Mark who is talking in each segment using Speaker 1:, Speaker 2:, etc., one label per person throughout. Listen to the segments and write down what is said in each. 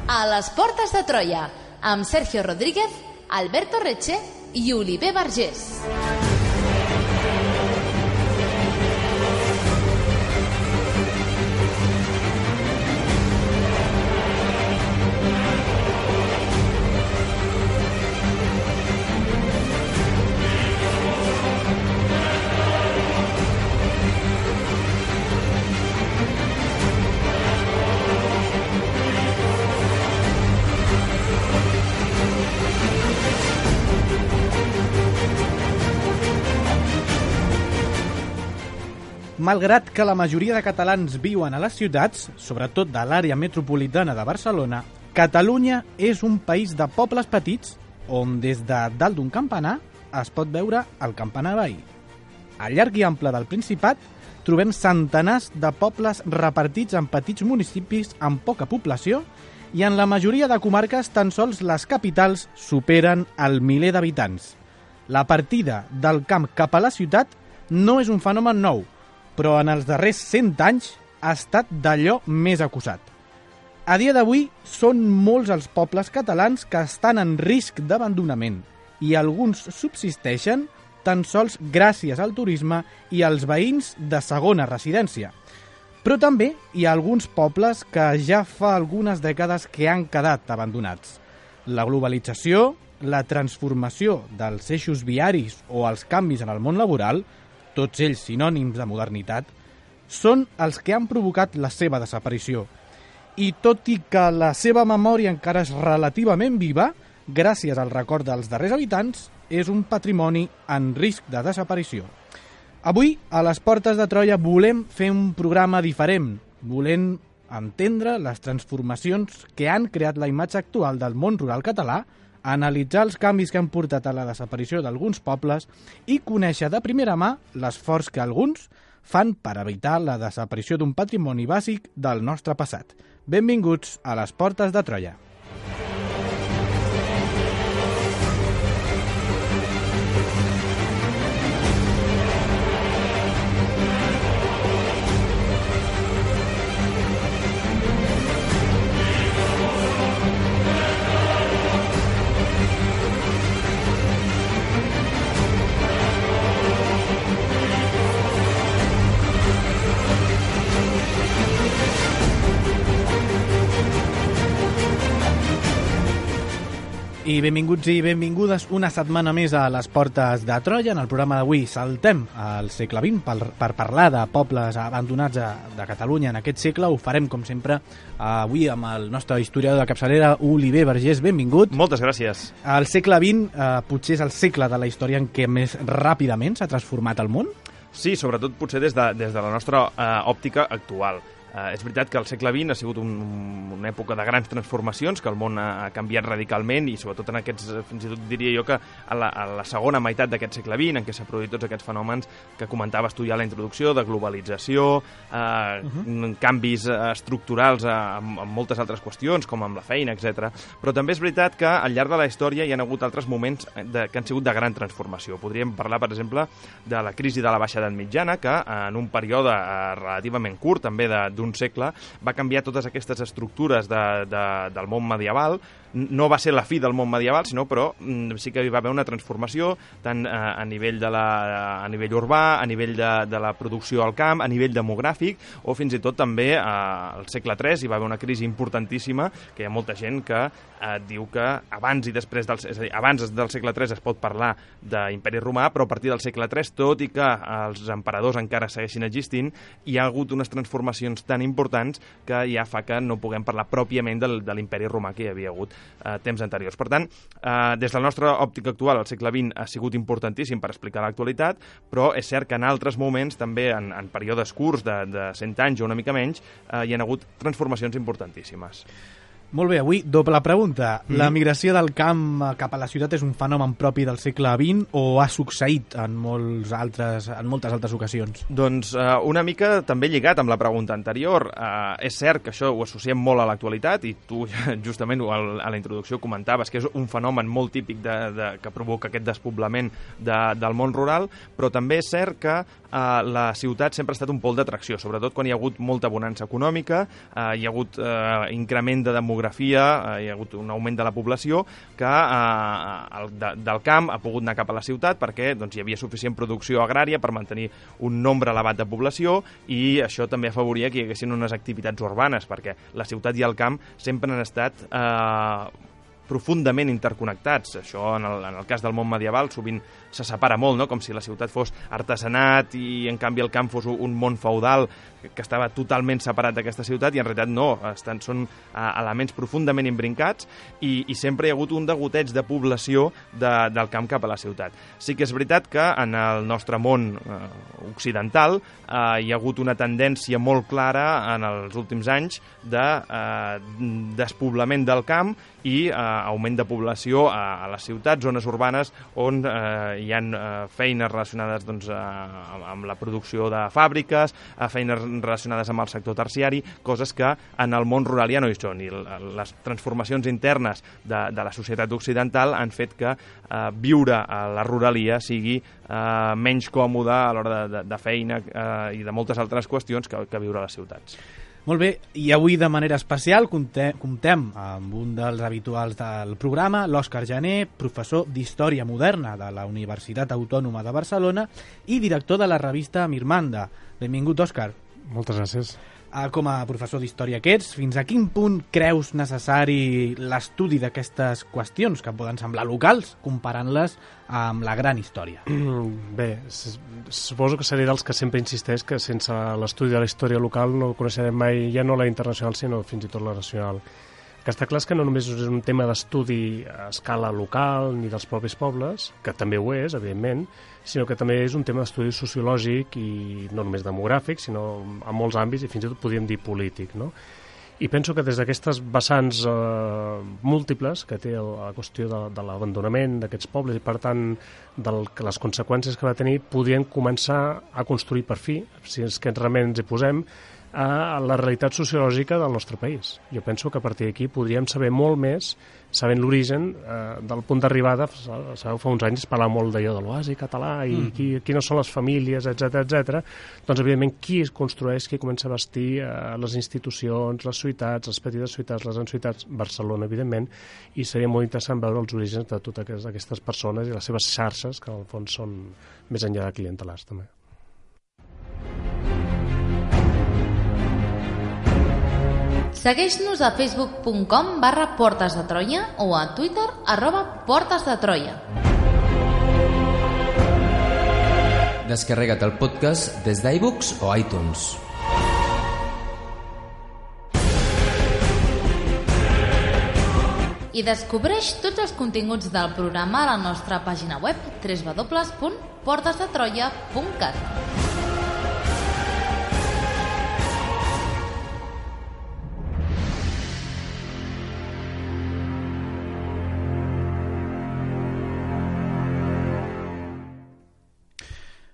Speaker 1: A les portes de Troia, amb Sergio Rodríguez, Alberto Reche i Oliver Vergés.
Speaker 2: Malgrat que la majoria de catalans viuen a les ciutats, sobretot de l'àrea metropolitana de Barcelona, Catalunya és un país de pobles petits on des de dalt d'un campanar es pot veure el campanar veí. Al llarg i ample del Principat trobem centenars de pobles repartits en petits municipis amb poca població i en la majoria de comarques tan sols les capitals superen el miler d'habitants. La partida del camp cap a la ciutat no és un fenomen nou, però en els darrers 100 anys ha estat d'allò més acusat. A dia d'avui són molts els pobles catalans que estan en risc d'abandonament i alguns subsisteixen tan sols gràcies al turisme i als veïns de segona residència. Però també hi ha alguns pobles que ja fa algunes dècades que han quedat abandonats. La globalització, la transformació dels eixos viaris o els canvis en el món laboral, tots ells sinònims de modernitat, són els que han provocat la seva desaparició. I tot i que la seva memòria encara és relativament viva, gràcies al record dels darrers habitants, és un patrimoni en risc de desaparició. Avui, a les portes de Troia, volem fer un programa diferent. Volem entendre les transformacions que han creat la imatge actual del món rural català, analitzar els canvis que han portat a la desaparició d'alguns pobles i conèixer de primera mà l'esforç que alguns fan per evitar la desaparició d'un patrimoni bàsic del nostre passat. Benvinguts a les portes de Troia. I benvinguts i benvingudes una setmana més a les portes de Troia. En el programa d'avui saltem al segle XX per parlar de pobles abandonats de Catalunya en aquest segle. Ho farem, com sempre, avui amb el nostre historiador de capçalera, Oliver Vergés. Benvingut.
Speaker 3: Moltes gràcies.
Speaker 2: El segle XX potser és el segle de la història en què més ràpidament s'ha transformat el món?
Speaker 3: Sí, sobretot potser des de la nostra òptica actual. És veritat que el segle XX ha sigut una època de grans transformacions, que el món ha canviat radicalment i sobretot en aquests, fins i tot diria jo que a la segona meitat d'aquest segle XX, en què s'ha produït tots aquests fenòmens que comentaves tu ja a la introducció, de globalització, canvis estructurals en moltes altres qüestions, com amb la feina, etc. Però també és veritat que al llarg de la història hi ha hagut altres moments que han sigut de gran transformació. Podríem parlar, per exemple, de la crisi de la baixa edat mitjana, que en un període relativament curt, també d'un segle, va canviar totes aquestes estructures del món medieval. No va ser la fi del món medieval, sinó però sí que hi va haver una transformació tant a nivell urbà, a nivell de la producció al camp, a nivell demogràfic, o fins i tot també al segle III hi va haver una crisi importantíssima, que hi ha molta gent que diu que abans i després abans del segle III es pot parlar d'imperi romà, però a partir del segle III, tot i que els emperadors encara segueixin existint, hi ha hagut unes transformacions tan importants que ja fa que no puguem parlar pròpiament de l'imperi romà que hi havia hagut temps anteriors. Per tant, des de la nostra òptica actual, el segle XX ha sigut importantíssim per explicar l'actualitat, però és cert que en altres moments, també en períodes curts de 100 anys o una mica menys, hi ha hagut transformacions importantíssimes.
Speaker 2: Molt bé, avui doble pregunta. La migració del camp cap a la ciutat és un fenomen propi del segle XX o ha succeït en moltes altres ocasions?
Speaker 3: Doncs una mica també lligat amb la pregunta anterior. És cert que això ho associem molt a l'actualitat i tu justament a la introducció comentaves que és un fenomen molt típic que provoca aquest despoblament del món rural, però també és cert que la ciutat sempre ha estat un pol d'atracció, sobretot quan hi ha hagut molta bonança econòmica, hi ha hagut increment de demografia, hi ha hagut un augment de la població que del camp ha pogut anar cap a la ciutat perquè doncs, hi havia suficient producció agrària per mantenir un nombre elevat de població i això també afavoria que hi haguessin unes activitats urbanes perquè la ciutat i el camp sempre han estat profundament interconnectats. Això, en el cas del món medieval, sovint se separa molt, no? Com si la ciutat fos artesanat i, en canvi, el camp fos un món feudal que estava totalment separat d'aquesta ciutat i, en realitat, no. Són elements profundament imbrincats i sempre hi ha hagut un degoteig de població del camp cap a la ciutat. Sí que és veritat que en el nostre món occidental hi ha hagut una tendència molt clara en els últims anys de despoblament del camp i augment de població a les ciutats, zones urbanes on hi ha feines relacionades doncs, amb la producció de fàbriques, feines relacionades amb el sector terciari, coses que en el món rural ja no hi són. I les transformacions internes de la societat occidental han fet que viure a la ruralia sigui menys còmode a l'hora de feina i de moltes altres qüestions que viure a les ciutats.
Speaker 2: Molt bé, i avui de manera especial comptem amb un dels habituals del programa, l'Òscar Jané, professor d'Història Moderna de la Universitat Autònoma de Barcelona i director de la revista Mirmanda. Benvingut, Òscar.
Speaker 4: Moltes gràcies.
Speaker 2: Com a professor d'història que ets, fins a quin punt creus necessari l'estudi d'aquestes qüestions que poden semblar locals, comparant-les amb la gran història?
Speaker 4: Bé, suposo que seré dels que sempre insisteix que sense l'estudi de la història local no coneixerem mai ja no la internacional, sinó fins i tot la nacional. Que està clar que no només és un tema d'estudi a escala local ni dels propis pobles, que també ho és, evidentment, sinó que també és un tema d'estudi sociològic i no només demogràfic, sinó en molts àmbits i fins i tot podríem dir polític, no? I penso que des d'aquestes vessants múltiples que té la qüestió de l'abandonament d'aquests pobles i, per tant, les conseqüències que va tenir, podríem començar a construir per fi, si és que realment ens hi posem, a la realitat sociològica del nostre país. Jo penso que a partir d'aquí podríem saber molt més, sabent l'origen del punt d'arribada. Sabeu, fa uns anys es parlava molt d'allò de l'oasi català i quines són les famílies, etc. Doncs, evidentment, qui es construeix, qui comença a vestir les institucions, les ciutats, les petites ciutats, les grans ciutats, Barcelona, evidentment, i seria molt interessant veure els orígens de totes aquestes persones i les seves xarxes, que en el fons són més enllà de clientelars, també.
Speaker 1: Segueix-nos a facebook.com/Portes de Troia o a Twitter @PortesDeTroia.
Speaker 5: Descarrega't el podcast des d'iBooks o iTunes.
Speaker 1: I descobreix tots els continguts del programa a la nostra pàgina web www.portesdetroia.cat.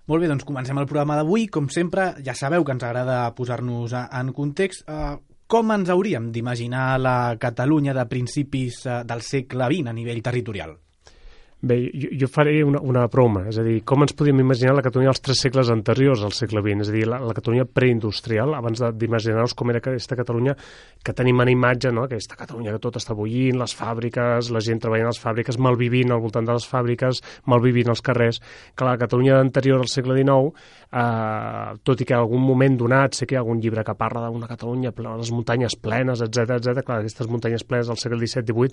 Speaker 2: Molt bé, doncs comencem el programa d'avui. Com sempre, ja sabeu que ens agrada posar-nos en context. Com ens hauríem d'imaginar la Catalunya de principis del segle XX a nivell territorial?
Speaker 4: Bé, jo faré una broma, és a dir, com ens podíem imaginar la Catalunya dels 3 segles anteriors al segle XX, és a dir, la Catalunya preindustrial, abans d'imaginar-nos com era aquesta Catalunya que tenim en imatge, no? Aquesta Catalunya que tot està bullint, les fàbriques, la gent treballant a les fàbriques, malvivint al voltant de les fàbriques, malvivint als carrers, que la Catalunya anterior al segle XIX, tot i que en algun moment donat sé que hi ha algun llibre que parla d'una Catalunya, les muntanyes plenes, etc. Clar, aquestes muntanyes plenes del segle XVII-XVIII,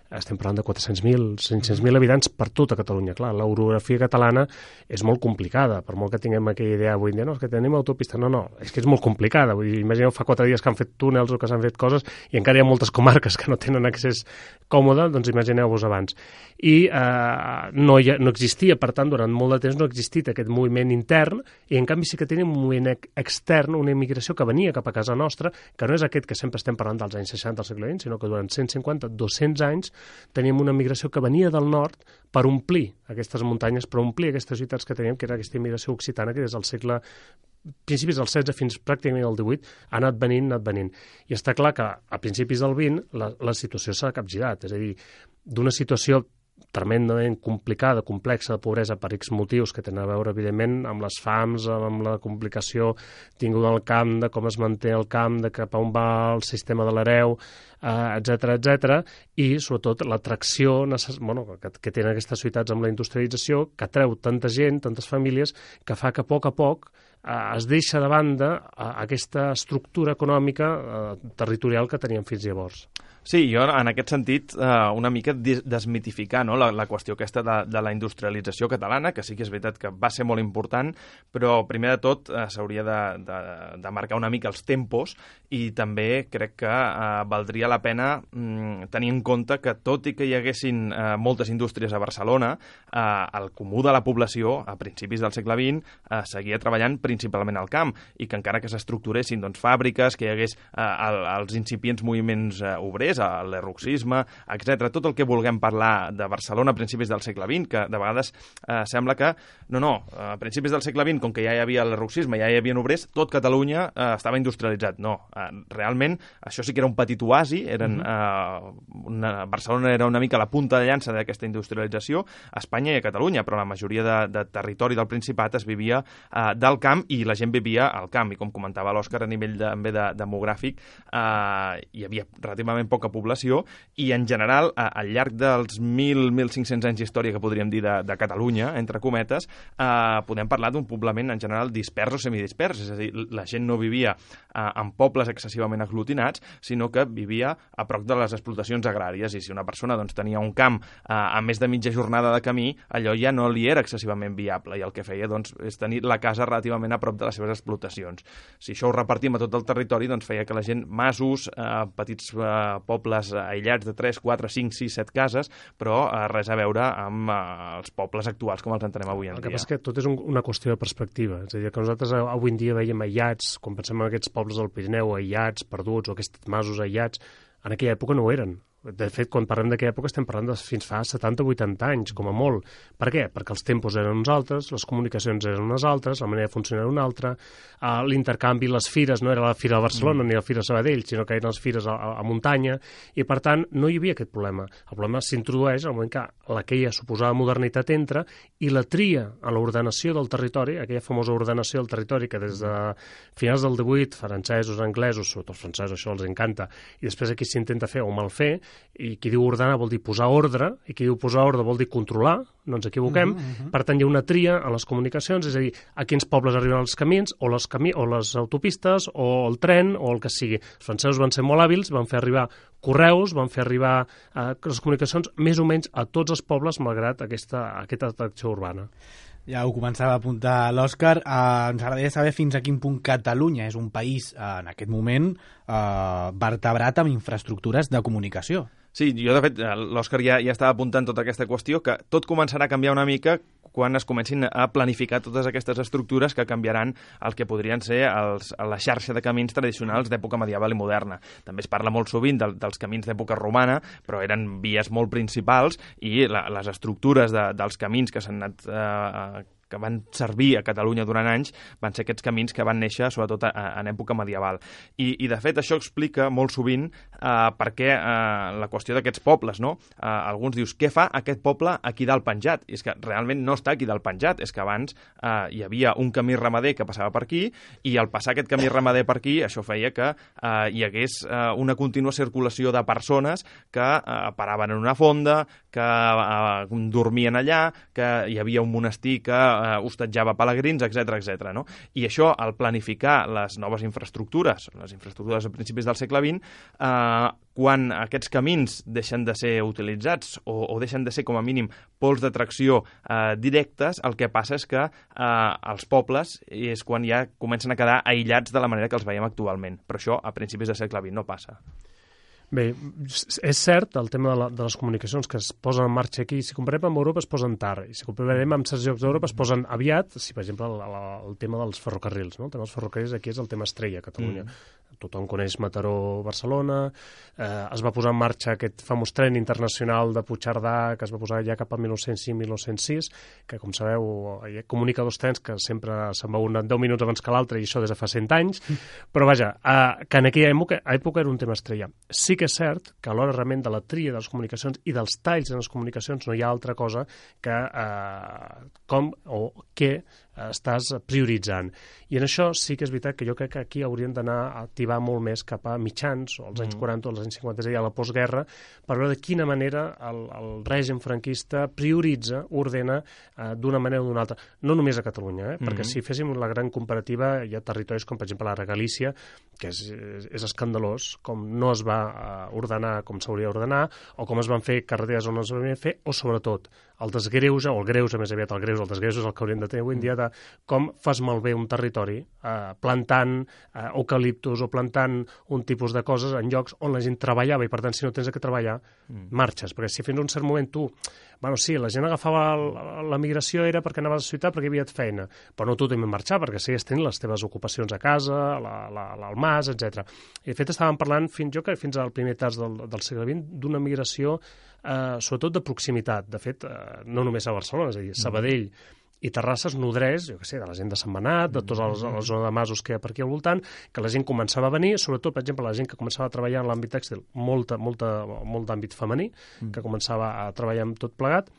Speaker 4: estem parlant de 400.000, 500.000 habitants per tota Catalunya. Clar, l'orografia catalana és molt complicada, per molt que tinguem aquella idea avui en dia, no, és que tenim autopista, no, és que és molt complicada. Vull dir, imagineu, fa 4 dies que han fet túnels o que s'han fet coses i encara hi ha moltes comarques que no tenen accés còmode, doncs imagineu-vos abans. I no existia, per tant, durant molt de temps no ha existit aquest moviment intern, i en canvi sí que tenim un moviment extern, una immigració que venia cap a casa nostra, que no és aquest que sempre estem parlant dels anys 60 del segle XX, sinó que durant 150, 200 anys teníem una migració que venia del nord per omplir aquestes muntanyes, per omplir aquestes ciutats que teníem, que era aquesta immigració occitana que des del segle principis del XVI fins pràcticament al XVIII ha anat venint. I està clar que a principis del XX la situació s'ha capgirat, és a dir, d'una situació tremendament complicada, complexa, de pobresa per X motius que tenen a veure, evidentment, amb les fams, amb la complicació tinguda al camp, de com es manté el camp, de cap a on va el sistema de l'hereu, etc. I, sobretot, l'atracció que tenen aquestes ciutats amb la industrialització, que atreu tanta gent, tantes famílies, que fa que a poc es deixa de banda aquesta estructura econòmica territorial que teníem fins llavors.
Speaker 3: Sí, jo en aquest sentit una mica desmitificar, no, la qüestió aquesta de la industrialització catalana, que sí que és veritat que va ser molt important, però primer de tot s'hauria de marcar una mica els tempos i també crec que valdria la pena tenir en compte que tot i que hi haguessin moltes indústries a Barcelona, el comú de la població a principis del segle XX seguia treballant principalment al camp i que encara que s'estructuressin fàbriques, que hi hagués els incipients moviments obrers, l'erroxisme, etc. Tot el que vulguem parlar de Barcelona a principis del segle XX, que de vegades sembla que, a principis del segle XX, com que ja hi havia l'erroxisme, ja hi havia obrers, tot Catalunya estava industrialitzat. No, realment això sí que era un petit oasi, Barcelona era una mica la punta de llança d'aquesta industrialització, a Espanya i a Catalunya, però la majoria de territori del Principat es vivia del camp i la gent vivia al camp, i com comentava l'Òscar, a nivell també demogràfic hi havia relativament poca població i en general al llarg dels 1.500 anys d'història que podríem dir de Catalunya, entre cometes, podem parlar d'un poblament en general dispers o semidispers, és a dir, la gent no vivia en pobles excessivament aglutinats, sinó que vivia a prop de les explotacions agràries, i si una persona tenia un camp a més de mitja jornada de camí, allò ja no li era excessivament viable i el que feia és tenir la casa relativament a prop de les seves explotacions. Si això ho repartim a tot el territori, feia que la gent, masos, petits pobles aïllats de 3, 4, 5, 6, 7 cases, però res a veure amb els pobles actuals com els entenem avui en dia.
Speaker 4: El que passa és que tot és una qüestió de perspectiva. És a dir, que nosaltres avui en dia veiem aïllats, quan pensem en aquests pobles del Pirineu aïllats, perduts, o aquests masos aïllats, en aquella època no ho eren. De fet, quan parlem d'aquella època estem parlant de fins fa 70 o 80 anys, com a molt. Per què? Perquè els tempos eren uns altres, les comunicacions eren unes altres, la manera de funcionar era una altra, l'intercanvi, les fires, no era la Fira de Barcelona ni la Fira de Sabadell, sinó que eren les fires a muntanya, i per tant no hi havia aquest problema. El problema s'introdueix al moment que aquella suposada modernitat entra i la tria a l'ordenació del territori, aquella famosa ordenació del territori que des de finals del 18, francesos, anglesos, sobretot els francesos, això els encanta, i després aquí s'intenta fer o mal fer, i qui diu ordenar vol dir posar ordre, i qui diu posar ordre vol dir controlar, no ens equivoquem. Per tant, hi ha una tria en les comunicacions, és a dir, a quins pobles arriben els camins, o les autopistes, o el tren, o el que sigui. Els francesos van ser molt hàbils, van fer arribar correus, van fer arribar les comunicacions més o menys a tots els pobles, malgrat aquesta atracció urbana.
Speaker 2: Ja ho començava a apuntar l'Òscar. Ens agradaria saber fins a quin punt Catalunya és un país, en aquest moment, vertebrat amb infraestructures de comunicació.
Speaker 3: Sí, jo de fet, l'Òscar ja estava apuntant tota aquesta qüestió, que tot començarà a canviar una mica quan es comencin a planificar totes aquestes estructures que canviaran el que podrien ser la xarxa de camins tradicionals d'època medieval i moderna. També es parla molt sovint dels camins d'època romana, però eren vies molt principals i les estructures dels camins que s'han anat que van servir a Catalunya durant anys, van ser aquests camins que van néixer sobretot en època medieval. I de fet això explica molt sovint per què la qüestió d'aquests pobles, no? Alguns dius, què fa aquest poble aquí dalt penjat? I és que realment no està aquí dalt penjat, és que abans hi havia un camí ramader que passava per aquí, i al passar aquest camí ramader per aquí, això feia que hi hagués una contínua circulació de persones que paraven en una fonda, que dormien allà, que hi havia un monestir que hostatjava pelegrins, etc. No? I això, al planificar les noves infraestructures a principis del segle XX, quan aquests camins deixen de ser utilitzats o deixen de ser, com a mínim, pols d'atracció directes, el que passa és que els pobles és quan ja comencen a quedar aïllats de la manera que els veiem actualment. Però això, a principis del segle XX, no passa.
Speaker 4: Bé, és cert el tema de les comunicacions que es posen en marxa aquí. Si comparem amb Europa es posen tard, i si comparem amb certs llocs d'Europa es posen aviat, si per exemple el tema dels ferrocarrils, no? El tema dels ferrocarrils aquí és el tema estrella a Catalunya. Tothom coneix Mataró-Barcelona, es va posar en marxa aquest famós tren internacional de Puigcerdà, que es va posar ja cap al 1905-1906, que com sabeu comunica dos trens que sempre se'n va un 10 minuts abans que l'altre, i això des de fa 100 anys, però vaja, que en aquella època era un tema estrella. Sí que és cert que a l'hora realment de la tria de les comunicacions i dels talls en les comunicacions no hi ha altra cosa que com o què estàs prioritzant. I en això sí que és veritat que jo crec que aquí hauríem d'anar a activar molt més cap a mitjans, o als anys 40 o als anys 50, és a dir, a la postguerra, per veure de quina manera el règim franquista prioritza, ordena d'una manera o d'una altra. No només a Catalunya, perquè si féssim la gran comparativa, hi ha territoris com, per exemple, la Galícia, que és escandalós, com no es va ordenar com s'hauria d'ordenar, o com es van fer carreteres on no es van fer, o sobretot el desgreuge, o el greuge més aviat, el desgreuge és el que hauríem de tenir avui en dia, de com fas malbé un territori plantant eucaliptus o plantant un tipus de coses en llocs on la gent treballava, i per tant si no tens que treballar, marxes, perquè si fins a un cert moment tu, bueno, sí, la gent agafava la migració era perquè anaves a la ciutat perquè hi havia feina, però no tothom marxar perquè seguies tenint les teves ocupacions a casa, al mas, etc. I de fet estàvem parlant fins al primer terç del segle XX d'una migració sobretot de proximitat. De fet, no només a Barcelona, és a dir, Sabadell i Terrassa es nodreix, jo què sé, de la gent de Sentmenat, de tota la zona de masos que hi ha per aquí al voltant, que la gent començava a venir, sobretot, per exemple, la gent que començava a treballar en l'àmbit tèxtil, molt d'àmbit femení, que començava a treballar amb tot plegat,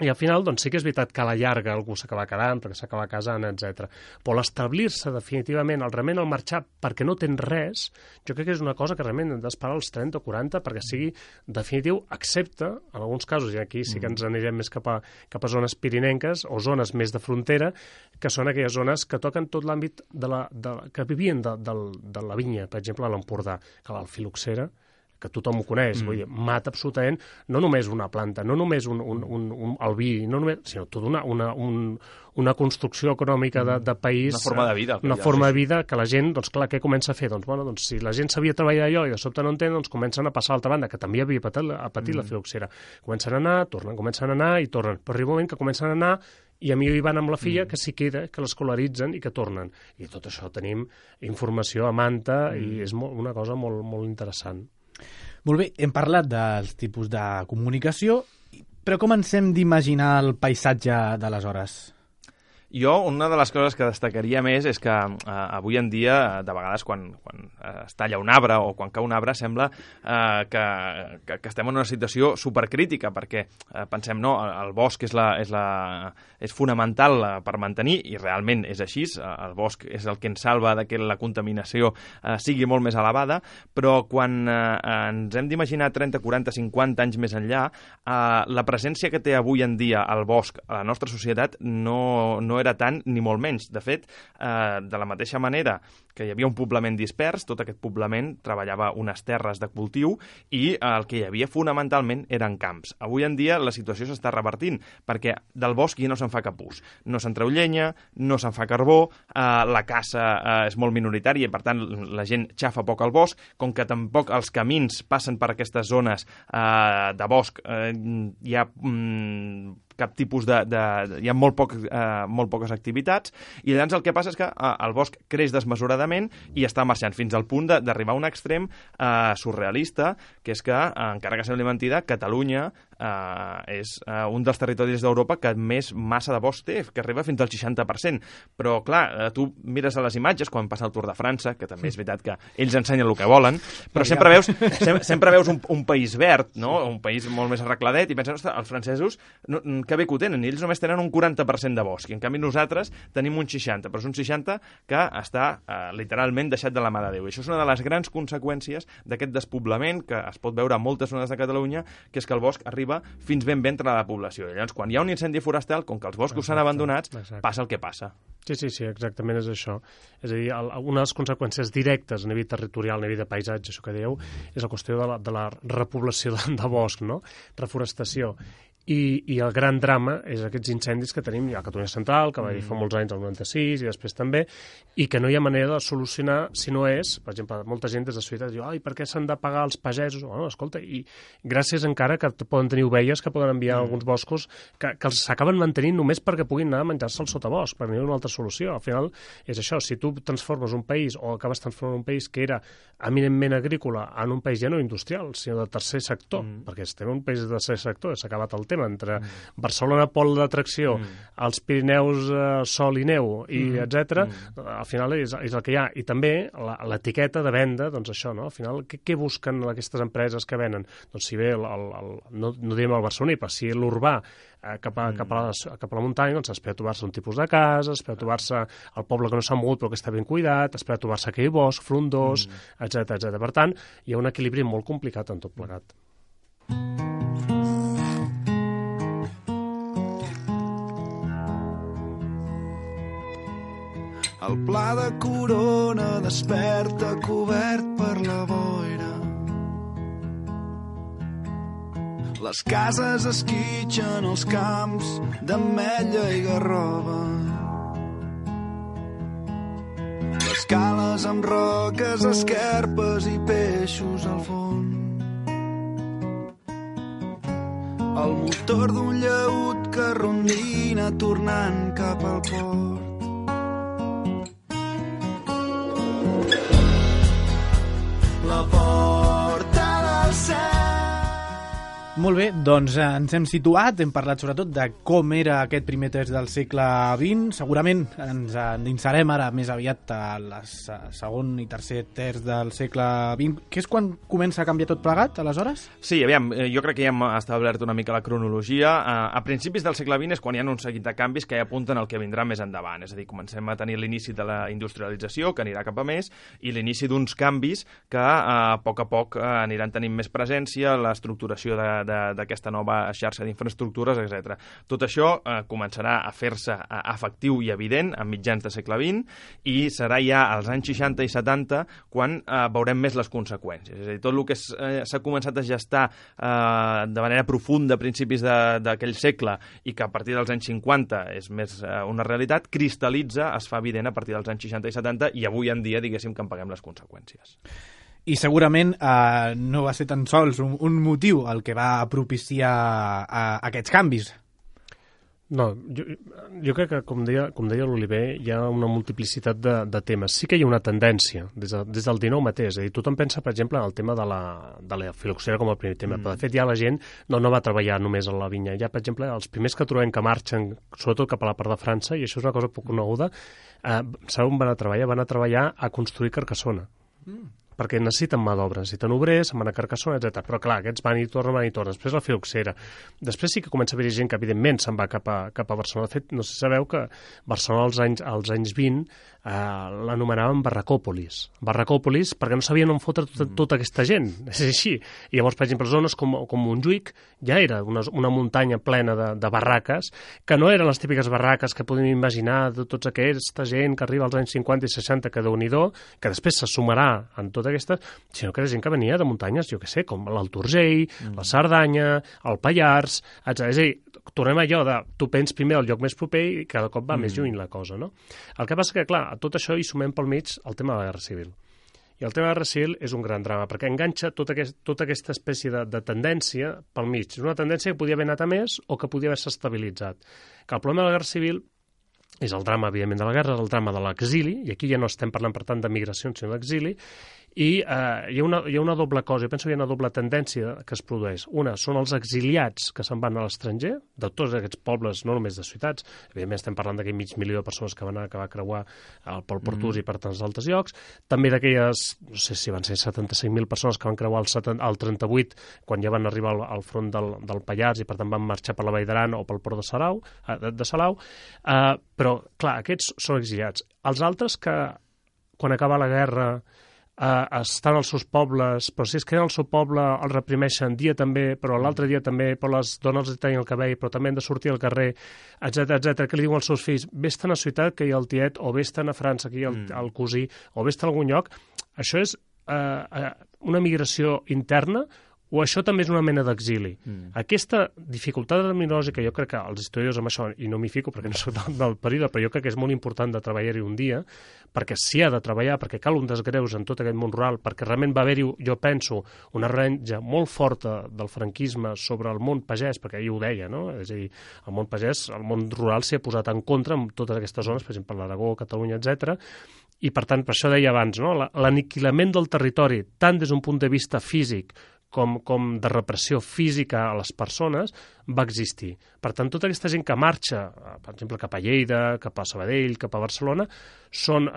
Speaker 4: i al final, doncs sí que és veritat que a la llarga algú s'acaba quedant, perquè s'acaba casant, etc. Però l'establir-se definitivament, el marxar perquè no tens res, jo crec que és una cosa que realment hem d'esperar als 30 o 40 perquè sigui definitiu, excepte, en alguns casos, i aquí sí que ens anirem més cap a zones pirinenques o zones més de frontera, que són aquelles zones que toquen tot l'àmbit que vivien de la vinya, per exemple, a l'Empordà, que la filoxera, que tothom ho coneix, vull dir, mata absolutament no només una planta, no només el vi, sinó tota una construcció econòmica de país.
Speaker 3: Una forma de vida.
Speaker 4: Una forma de vida que la gent, doncs clar, què comença a fer? Doncs, bueno, si la gent sabia treballar allò i de sobte no entén, doncs comencen a passar a l'altra banda, que també havia patit la filoxera. Comencen a anar, tornen, comencen a anar i tornen. Però arriba un moment que comencen a anar i a mi hi van amb la filla que s'hi queda, que l'escolaritzen i que tornen. I tot això tenim informació a manta i és una cosa molt, molt interessant.
Speaker 2: Molt bé, hem parlat dels tipus de comunicació, però com ens hem d'imaginar el paisatge d'aleshores?
Speaker 3: Jo, una de les coses que destacaria més és que avui en dia, de vegades, quan es talla un arbre o quan cau un arbre, sembla que estem en una situació supercrítica, perquè pensem, no, el bosc és fonamental per mantenir, i realment és així, el bosc és el que ens salva de que la contaminació sigui molt més elevada, però quan ens hem d'imaginar 30, 40, 50 anys més enllà, la presència que té avui en dia el bosc a la nostra societat no era tant ni molt menys. De fet, de la mateixa manera que hi havia un poblament dispers, tot aquest poblament treballava unes terres de cultiu i el que hi havia fonamentalment eren camps. Avui en dia la situació s'està revertint perquè del bosc ja no se'n fa cap ús. No se'n treu llenya, no se'n fa carbó, la caça és molt minoritària i per tant la gent xafa poc al bosc, com que tampoc els camins passen per aquestes zones de bosc, hi ha cap tipus hi ha molt poques activitats, i llavors el que passa és que el bosc creix desmesuradament i està marxant fins al punt d'arribar a un extrem surrealista, que és que, encara que sembli mentida, Catalunya és un dels territoris d'Europa que més massa de bosc té, que arriba fins al 60%. Però, clar, tu mires a les imatges quan passa el Tour de França, que també és veritat que ells ensenyen el que volen, però sempre veus un país verd, no? Un país molt més arregladet, i penses, ostres, els francesos que bé que ho tenen, ells només tenen un 40% de bosc, i en canvi nosaltres tenim un 60%, però és un 60% que està literalment deixat de la mà de Déu. I això és una de les grans conseqüències d'aquest despoblament que es pot veure a moltes zones de Catalunya, que és que el bosc arriba fins ben entre la població. I llavors, quan hi ha un incendi forestal, com que els boscos s'han abandonats, passa el que passa.
Speaker 4: Sí, exactament és això. És a dir, una de les conseqüències directes a nivell territorial, a nivell de paisatge, això que dèieu, és la qüestió de la repoblació de bosc, no? Reforestació. I el gran drama és aquests incendis que tenim a Catalunya Central, que va haver fa molts anys, el 96, i després també, i que no hi ha manera de solucionar si no és, per exemple, molta gent des de ciutat diu, ai, per què s'han de pagar els pagesos? Bueno, escolta, i gràcies encara que poden tenir ovelles que poden enviar a alguns boscos que s'acaben mantenint només perquè puguin anar a menjar-se al sotabosc, perquè no hi ha una altra solució. Al final és això, si tu transformes un país o acabes transformant un país que era eminentment agrícola en un país ja no industrial, sinó de tercer sector, perquè estem en un país de tercer sector, s'ha acabat el tema entre Barcelona, pol d'atracció, els Pirineus, sol i neu, i etc. Al final és el que hi ha. I també l'etiqueta de venda, doncs això, no? Al final, què busquen aquestes empreses que venen? Doncs si ve, no diem el barceloní, però si l'urbà cap a la muntanya, doncs espera trobar-se un tipus de casa, espera trobar-se el poble que no s'ha mogut però que està ben cuidat, espera trobar-se aquell bosc, frondós, etc. Per tant, hi ha un equilibri molt complicat en tot plegat.
Speaker 6: El pla de Corona desperta cobert per la boira. Les cases esquitxen els camps d'ametlla i garrova. Les cales amb roques, esquerpes i peixos al fons. El motor d'un llaüt que rondina tornant cap al port. La porta del cel.
Speaker 2: Molt bé, doncs ens hem situat, hem parlat sobretot de com era aquest primer terç del segle XX. Segurament ens endinsarem ara més aviat a la segon i tercer terç del segle XX, que és quan comença a canviar tot plegat, aleshores?
Speaker 3: Sí, aviam, jo crec que ja hem establert una mica la cronologia. A principis del segle XX és quan hi ha un seguit de canvis que ja apunten al que vindrà més endavant. És a dir, comencem a tenir l'inici de la industrialització, que anirà cap a més, i l'inici d'uns canvis que a poc aniran tenint més presència, l'estructuració d'aquesta nova xarxa d'infraestructures, etc. Tot això començarà a fer-se efectiu i evident a mitjans de segle XX i serà ja als anys 60 i 70 quan veurem més les conseqüències. És a dir, tot el que s'ha començat a gestar de manera profunda a principis d'aquell segle i que a partir dels anys 50 és més una realitat, cristal·litza, es fa evident a partir dels anys 60 i 70 i avui en dia, diguéssim, que en paguem les conseqüències.
Speaker 2: I segurament no va ser tan sols un motiu el que va propiciar aquests canvis.
Speaker 4: No, jo crec que, com deia l'Oliver, hi ha una multiplicitat de temes. Sí que hi ha una tendència, des del 19 mateix. És a dir, tothom pensa, per exemple, en el tema de la filoxera com el primer tema, però de fet ja la gent no va treballar només a la vinya. Ja, per exemple, els primers que trobem que marxen, sobretot cap a la part de França, i això és una cosa poc coneguda, sabeu on van a treballar? Van a treballar a construir Carcassona. Perquè necessiten mà d'obra, necessiten obrers, se'n van a Carcassona, etc. Però clar, aquests van i tornen. Després la filoxera. Després sí que comença a haver gent que evidentment se'n va cap a Barcelona. De fet, no sé si sabeu que Barcelona als anys 20 l'anomenaven Barracòpolis. Barracòpolis perquè no sabien on fotre tota aquesta gent. És així. I llavors, per exemple, zones com Montjuïc ja era una muntanya plena de barraques, que no eren les típiques barraques que podem imaginar de tota aquesta gent que arriba als anys 50 i 60, que Déu-n'hi-do, que després se sumarà en tota aquesta, sinó que era gent que venia de muntanyes, jo què sé, com l'Alt Urgell, la Cerdanya, el Pallars, etc. És a dir, tornem a allò de tu pens primer al lloc més proper i cada cop va més lluny la cosa, no? El que passa que, clar, a tot això hi sumem pel mig el tema de la Guerra Civil. I el tema de la Guerra Civil és un gran drama, perquè enganxa tota aquesta espècie de tendència pel mig. És una tendència que podia haver anat a més o que podia haver-se estabilitzat. Que el problema de la Guerra Civil és el drama, evidentment, de la guerra, és el drama de l'exili, i aquí ja no estem parlant, per tant, de migracions, sinó d'exili, i hi ha una doble cosa, jo penso que hi ha una doble tendència que es produeix. Una, són els exiliats que se'n van a l'estranger, de tots aquests pobles, no només de ciutats, evidentment estem parlant d'aquell 500.000 de persones que van acabar a creuar pel Pertús i per tants altres llocs, també d'aquelles, no sé si van ser 75.000 persones que van creuar el 38, quan ja van arribar al front del Pallars i per tant van marxar per la Vall d'Aran o pel port de Salau, però, clar, aquests són exiliats. Els altres que, quan acaba la guerra, estan als seus pobles, però si es queden al seu poble els reprimeixen dia també, però l'altre dia també, però les dones els tallen el cabell, però també han de sortir al carrer, etc. Que li diuen als seus fills, vés-te'n a ciutat que hi ha el tiet, o vés-te'n a França que hi ha el cosí, o vés-te'n a algun lloc. Això és una migració interna o això també és una mena d'exili. Aquesta dificultat terminològica, jo crec que els historiadors amb això, i no m'hi fico perquè no soc del període, però jo crec que és molt important de treballar-hi un dia, perquè s'hi ha de treballar, perquè cal un desgreus en tot aquest món rural, perquè realment va haver-hi, jo penso, una renja molt forta del franquisme sobre el món pagès, perquè ell ho deia, no? És a dir, el món pagès, el món rural s'hi ha posat en contra en totes aquestes zones, per exemple, l'Aragó, Catalunya, etc. I, per tant, per això deia abans, no? L'aniquilament del territori, tant des d'un punt de vista físic com de repressió física a les persones, va existir. Per tant, tota aquesta gent que marxa, per exemple, cap a Lleida, cap a Sabadell, cap a Barcelona, són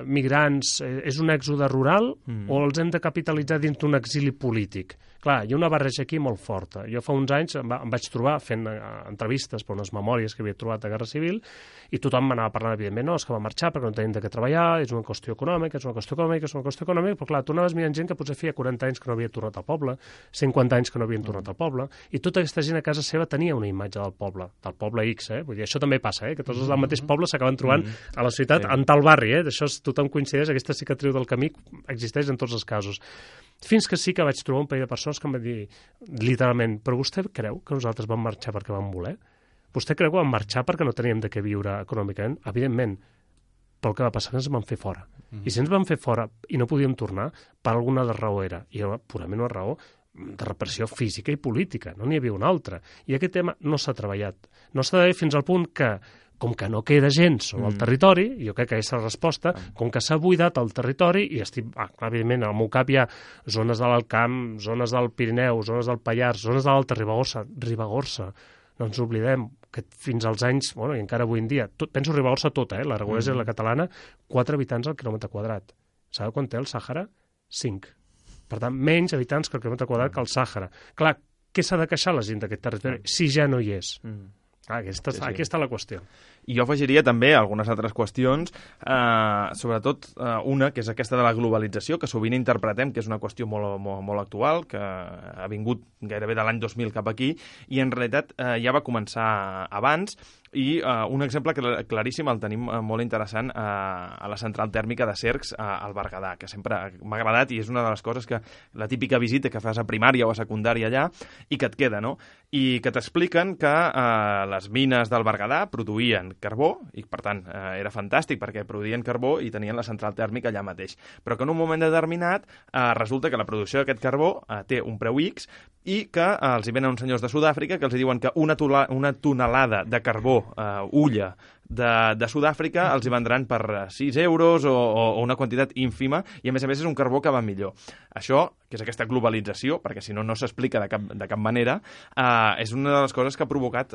Speaker 4: migrants, és un èxode rural o els hem de capitalitzar dins d'un exili polític? Clar, hi ha una barreja aquí molt forta. Jo fa uns anys em vaig trobar fent entrevistes per unes memòries que havia trobat de Guerra Civil i tothom m'anava parlant, evidentment, no, és que va marxar perquè no tenim de què treballar, és una qüestió econòmica, però clar, tu anaves mirant gent que potser feia 40 anys que no havia tornat al poble, 50 anys que no havien tornat al poble, i tota aquesta gent a casa seva tenia una imatge del poble X, Vull dir, això també passa, que tots els del mateix poble s'acaben trobant a la ciutat, en tal barri, d'això tothom coincideix, aquesta cicatriu del camí existeix en tots els casos. Fins que sí que vaig trobar un parell de persones que em van dir, literalment, però vostè creu que nosaltres vam marxar perquè vam voler? Vostè creu que vam marxar perquè no teníem de què viure econòmicament? Evidentment, però el que va passar que ens van fer fora. I si ens van fer fora i no podíem tornar, per alguna raó era, i era purament una raó de repressió física i política, no n'hi havia una altra. I aquest tema no s'ha treballat. No s'ha treballat fins al punt que, com que no queda gent sobre el territori, jo crec que aquesta és la resposta, com que s'ha buidat el territori, i estic, evidentment, al meu cap hi ha zones de l'Alt Camp, zones del Pirineu, zones del Pallars, zones de l'Alta Ribagorça, no ens oblidem que fins als anys, i encara avui en dia, penso Ribagorça tota, l'aragonesa i la catalana, 4 habitants al quilòmetre quadrat. Sabeu quan té el Sàhara? 5. Per tant, menys habitants que el quilòmetre quadrat que el Sàhara. Clar, què s'ha de queixar la gent d'aquest territori si ja no hi és? Aquí està la qüestió.
Speaker 3: I jo afegiria també algunes altres qüestions, sobretot una, que és aquesta de la globalització, que sovint interpretem que és una qüestió molt actual, que ha vingut gairebé de l'any 2000 cap aquí, i en realitat ja va començar abans, i un exemple claríssim el tenim molt interessant a la central tèrmica de Cercs al Berguedà, que sempre m'ha agradat i és una de les coses que la típica visita que fas a primària o a secundària allà i que et queda, no? I que t'expliquen que les mines del Berguedà produïen carbó i, per tant, era fantàstic perquè produïen carbó i tenien la central tèrmica allà mateix. Però que en un moment determinat resulta que la producció d'aquest carbó té un preu X i que els hi venen uns senyors de Sud-àfrica que els hi diuen que una tonelada de carbó ulla de Sud-àfrica els hi vendran per 6 euros o una quantitat ínfima i a més és un carbó que va millor. Això, que és aquesta globalització, perquè si no s'explica de cap manera, és una de les coses que ha provocat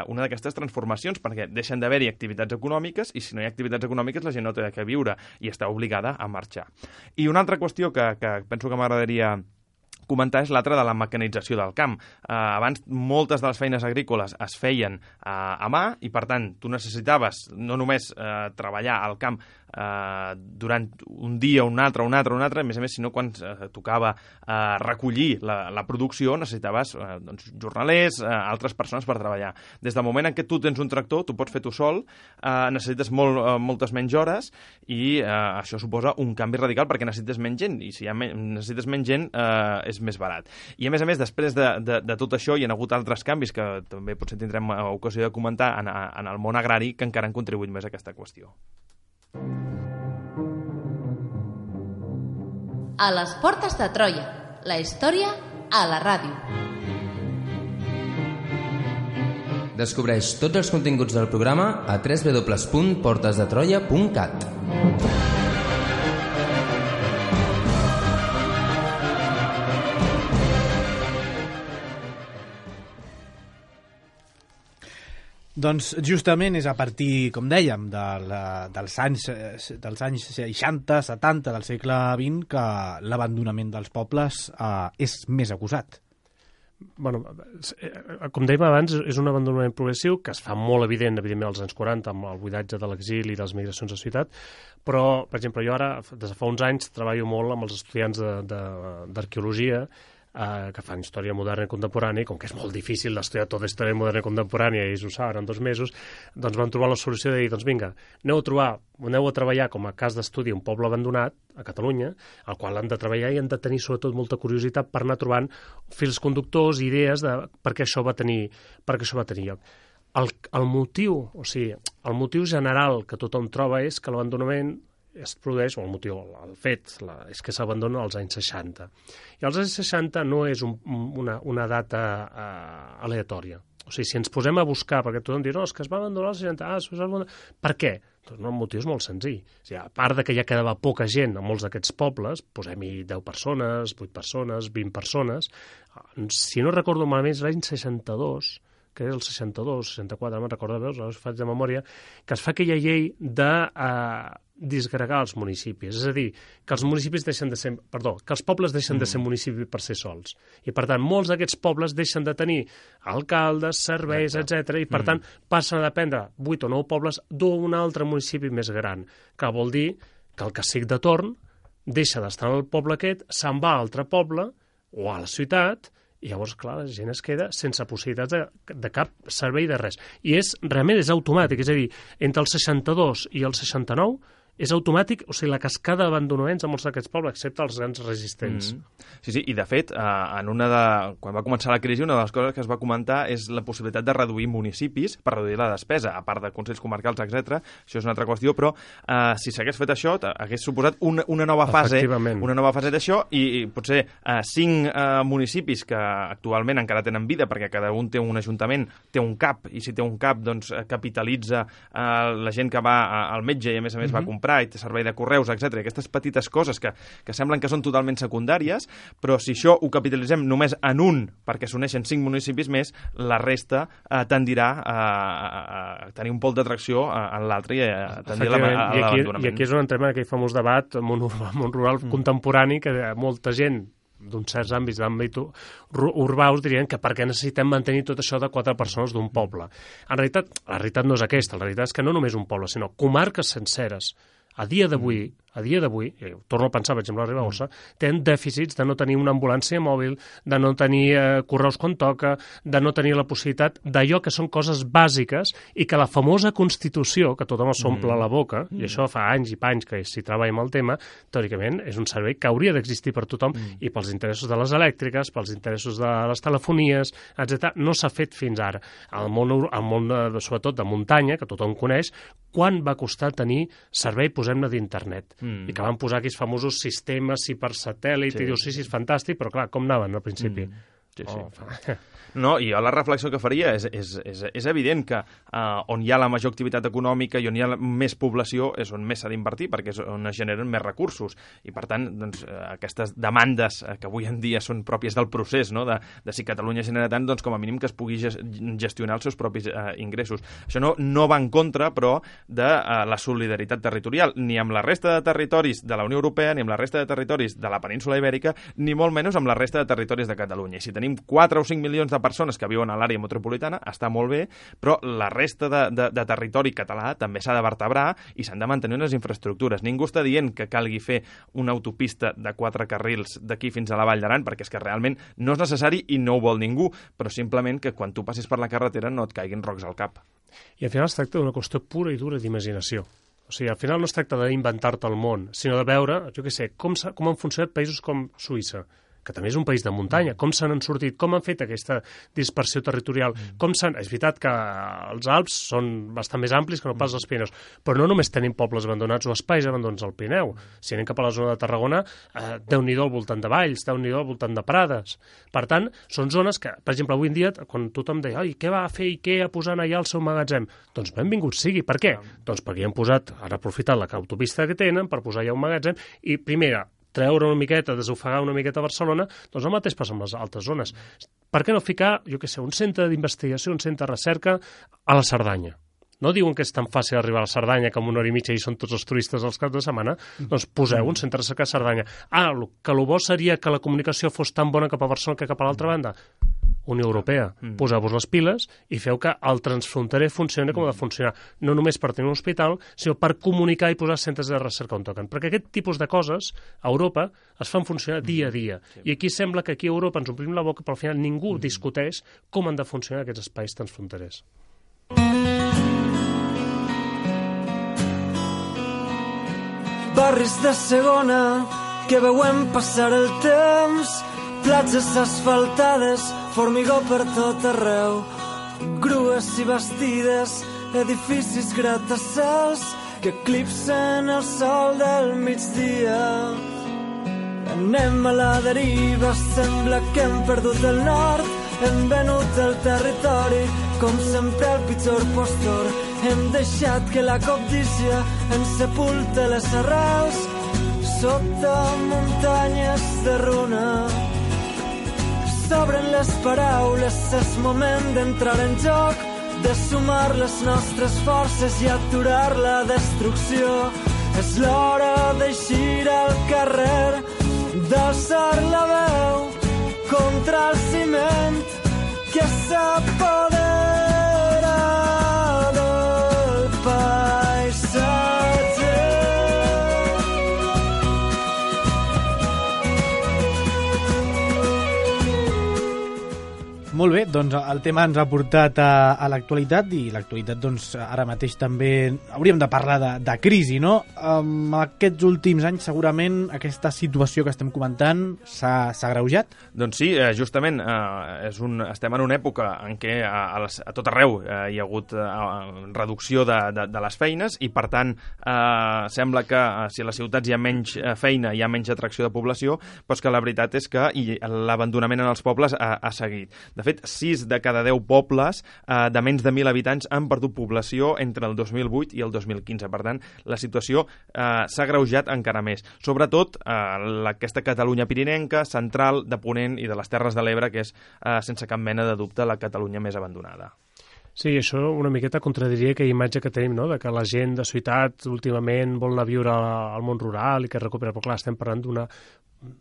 Speaker 3: una d'aquestes transformacions, perquè deixen d'haver-hi activitats econòmiques i si no hi ha activitats econòmiques la gent no té de què viure i està obligada a marxar. I una altra qüestió que penso que m'agradaria comentar és l'altra de la mecanització del camp. Abans moltes de les feines agrícoles es feien a mà i, per tant, tu necessitaves no només treballar al camp durant un dia, un altre, a més, sinó quan tocava recollir la producció necessitaves jornalers, altres persones per treballar. Des del moment en què tu tens un tractor, tu pots fer tu sol, necessites moltes menys hores i això suposa un canvi radical perquè necessites menys gent i si necessites menys gent és més barat. I a més, després de tot això hi ha hagut altres canvis que també potser tindrem ocasió de comentar en el món agrari que encara han contribuït més a aquesta qüestió.
Speaker 1: A les portes de Troia, la història a la ràdio.
Speaker 5: Descobreix tots els continguts del programa a www.portesdetroia.cat.
Speaker 2: Doncs justament és a partir, com dèiem, dels anys 60, 70 del segle XX que l'abandonament dels pobles és més acusat.
Speaker 4: Bueno, com dèiem abans, és un abandonament progressiu que es fa molt evidentment als anys 40 amb el buidatge de l'exili i de les migracions a ciutat, però, per exemple, jo ara, des de fa uns anys, treballo molt amb els estudiants d'arqueologia que fan història moderna i contemporània, i com que és molt difícil d'estudiar tota història moderna i contemporània, i ells ho saben en 2 mesos, doncs van trobar la solució de dir, doncs vinga, aneu a treballar com a cas d'estudi un poble abandonat a Catalunya, al qual han de treballar i han de tenir sobretot molta curiositat per anar trobant fils conductors, idees de per què això va tenir lloc. El motiu general que tothom troba és que l'abandonament es produeix, o el fet és que s'abandona als anys 60. I als anys 60 no és una data aleatòria. O sigui, si ens posem a buscar, perquè tothom diu, no, és que es va abandonar als 60, per què? Doncs el motiu és molt senzill. O sigui, a part de que ja quedava poca gent a molts d'aquests pobles, posem-hi 10 persones, 8 persones, 20 persones, si no recordo malament, és l'any 62, que és el 62, 64, no me'n recordo, veus, faig de memòria, que es fa aquella llei de disgregar els municipis, és a dir, que els municipis que els pobles deixen de ser municipis per ser sols. I, per tant, molts d'aquests pobles deixen de tenir alcaldes, serveis, etc. I, per tant, passen a dependre 8 o 9 pobles d'un altre municipi més gran, que vol dir que el cacic de torn deixa d'estar en el poble aquest, se'n va a altre poble o a la ciutat, i llavors, clar, la gent es queda sense possibilitats de cap servei de res. I realment és automàtic, és a dir, entre el 62 i el 69 és automàtic, o sigui, la cascada d'abandonaments a molts d'aquests pobles, excepte els grans resistents.
Speaker 3: Sí, i de fet, quan va començar la crisi, una de les coses que es va comentar és la possibilitat de reduir municipis per reduir la despesa, a part de consells comarcals, etc. Això és una altra qüestió, però si s'hagués fet això, hagués suposat una nova fase d'això, i potser 5 municipis que actualment encara tenen vida, perquè cada un té un ajuntament, té un cap, i si té un cap, doncs capitalitza la gent que va al metge i a més va comprar i té servei de correus, etc. Aquestes petites coses que semblen que són totalment secundàries, però si això ho capitalitzem només en un, perquè s'uneixen 5 municipis més, la resta tendirà a tenir un pol d'atracció en l'altre i a tendir a l'abandonament.
Speaker 4: I aquí és on entrem en aquell famós debat món rural contemporani que molta gent d'uns certs àmbits d'àmbit urbà us dirien que per què necessitem mantenir tot això de 4 persones d'un poble. En realitat, la realitat no és aquesta, la realitat és que no només un poble, sinó comarques senceres, a dia d'avui, torno a pensar, per exemple, a Ribagorça, tenen dèficits de no tenir una ambulància mòbil, de no tenir correus quan toca, de no tenir la possibilitat d'allò que són coses bàsiques i que la famosa Constitució, que tothom s'omple la boca, i això fa anys i panys que s'hi treballa amb el tema, teòricament és un servei que hauria d'existir per tothom i pels interessos de les elèctriques, pels interessos de les telefonies, etc. No s'ha fet fins ara. Al món sobretot de muntanya, que tothom coneix, quan va costar tenir servei, posem-ne, d'internet. I que van posar aquells famosos sistemes per satèl·lit, i dius, sí, és fantàstic, però clar, com anaven al principi?
Speaker 3: No, i la reflexió que faria és evident que on hi ha la major activitat econòmica i on hi ha més població és on més s'ha d'invertir, perquè és on es generen més recursos. I, per tant, doncs, aquestes demandes que avui en dia són pròpies del procés, no? de si Catalunya genera tant, doncs com a mínim que es pugui gestionar els seus propis ingressos. Això no va en contra, però, de la solidaritat territorial, ni amb la resta de territoris de la Unió Europea, ni amb la resta de territoris de la península Ibèrica, ni molt menys amb la resta de territoris de Catalunya. I si tenim 4 o 5 milions de persones que viuen a l'àrea metropolitana, està molt bé, però la resta de territori català també s'ha de vertebrar i s'han de mantenir unes infraestructures. Ningú està dient que calgui fer una autopista de 4 carrils d'aquí fins a la Vall d'Aran, perquè és que realment no és necessari i no ho vol ningú, però simplement que quan tu passis per la carretera no et caiguin rocs al cap.
Speaker 4: I al final es tracta d'una qüestió pura i dura d'imaginació. O sigui, al final no es tracta d'inventar-te el món, sinó de veure, jo què sé, com han funcionat països com Suïssa, que també és un país de muntanya, com se n'han sortit, com han fet aquesta dispersió territorial, és veritat que els Alps són bastant més amplis que no pas els Pirineus, però no només tenim pobles abandonats o espais abandonats al Pirineu. Si anem cap a la zona de Tarragona, Déu-n'hi-do al voltant de valls, Déu-n'hi-do al voltant de prades. Per tant, són zones que, per exemple, avui en dia, quan tothom deia què va fer IKEA posant allà el seu magatzem? Doncs benvingut sigui. Per què? Doncs perquè hi han posat, han aprofitat l'autopista que tenen per posar allà un magatzem i, primera, treure una miqueta, desofegar una miqueta a Barcelona, doncs el mateix passa amb les altres zones. Per què no ficar, jo què sé, un centre d'investigació, un centre de recerca a la Cerdanya? No diuen que és tan fàcil arribar a la Cerdanya que en 1 hora i mitja hi són tots els turistes als caps de setmana, doncs poseu un centre de recerca a Cerdanya. Que el bo seria que la comunicació fos tan bona cap a Barcelona que cap a l'altra banda? Unió Europea. Poseu-vos les piles i feu que el transfronterer funcioni com ha de funcionar. No només per tenir un hospital, sinó per comunicar i posar centres de recerca on toquen. Perquè aquest tipus de coses a Europa es fan funcionar dia a dia. I aquí sembla que aquí a Europa ens omplim la boca, però al final ningú discuteix com han de funcionar aquests espais transfronterers.
Speaker 7: Barris de segona que veuen passar el temps, platges asfaltades, formigó per tot arreu, grues i bastides, edificis gratacels que eclipsen el sol del migdia. Anem a la deriva, sembla que hem perdut el nord, hem venut el territori, com sempre el pitjor postor. Hem deixat que la cobdícia ens sepulte les arrels sota muntanyes de runa. S'obren les paraules, és moment d'entrar en joc, de sumar les nostres forces i aturar la destrucció. És l'hora d'eixir al carrer, d'alçar la veu contra el ciment que s'apodera del paisatge.
Speaker 2: Molt bé, doncs el tema ens ha portat a l'actualitat i l'actualitat doncs ara mateix també hauríem de parlar de crisi, no? Aquests últims anys segurament aquesta situació que estem comentant s'ha agreujat?
Speaker 3: Doncs sí, justament estem en una època en què a tot arreu hi ha hagut reducció de les feines i per tant sembla que si a les ciutats hi ha menys feina, hi ha menys atracció de població, però és que la veritat és que l'abandonament en els pobles ha seguit. De fet, 6 de cada 10 pobles de menys de 1.000 habitants han perdut població entre el 2008 i el 2015. Per tant, la situació s'ha agreujat encara més. Sobretot aquesta Catalunya pirinenca, central, de Ponent i de les Terres de l'Ebre, que és, sense cap mena de dubte, la Catalunya més abandonada.
Speaker 4: Sí, això una miqueta contradiria aquella imatge que tenim, no?, de que la gent de ciutat últimament vol anar a viure al món rural i que recupera, però clar, estem parlant d'una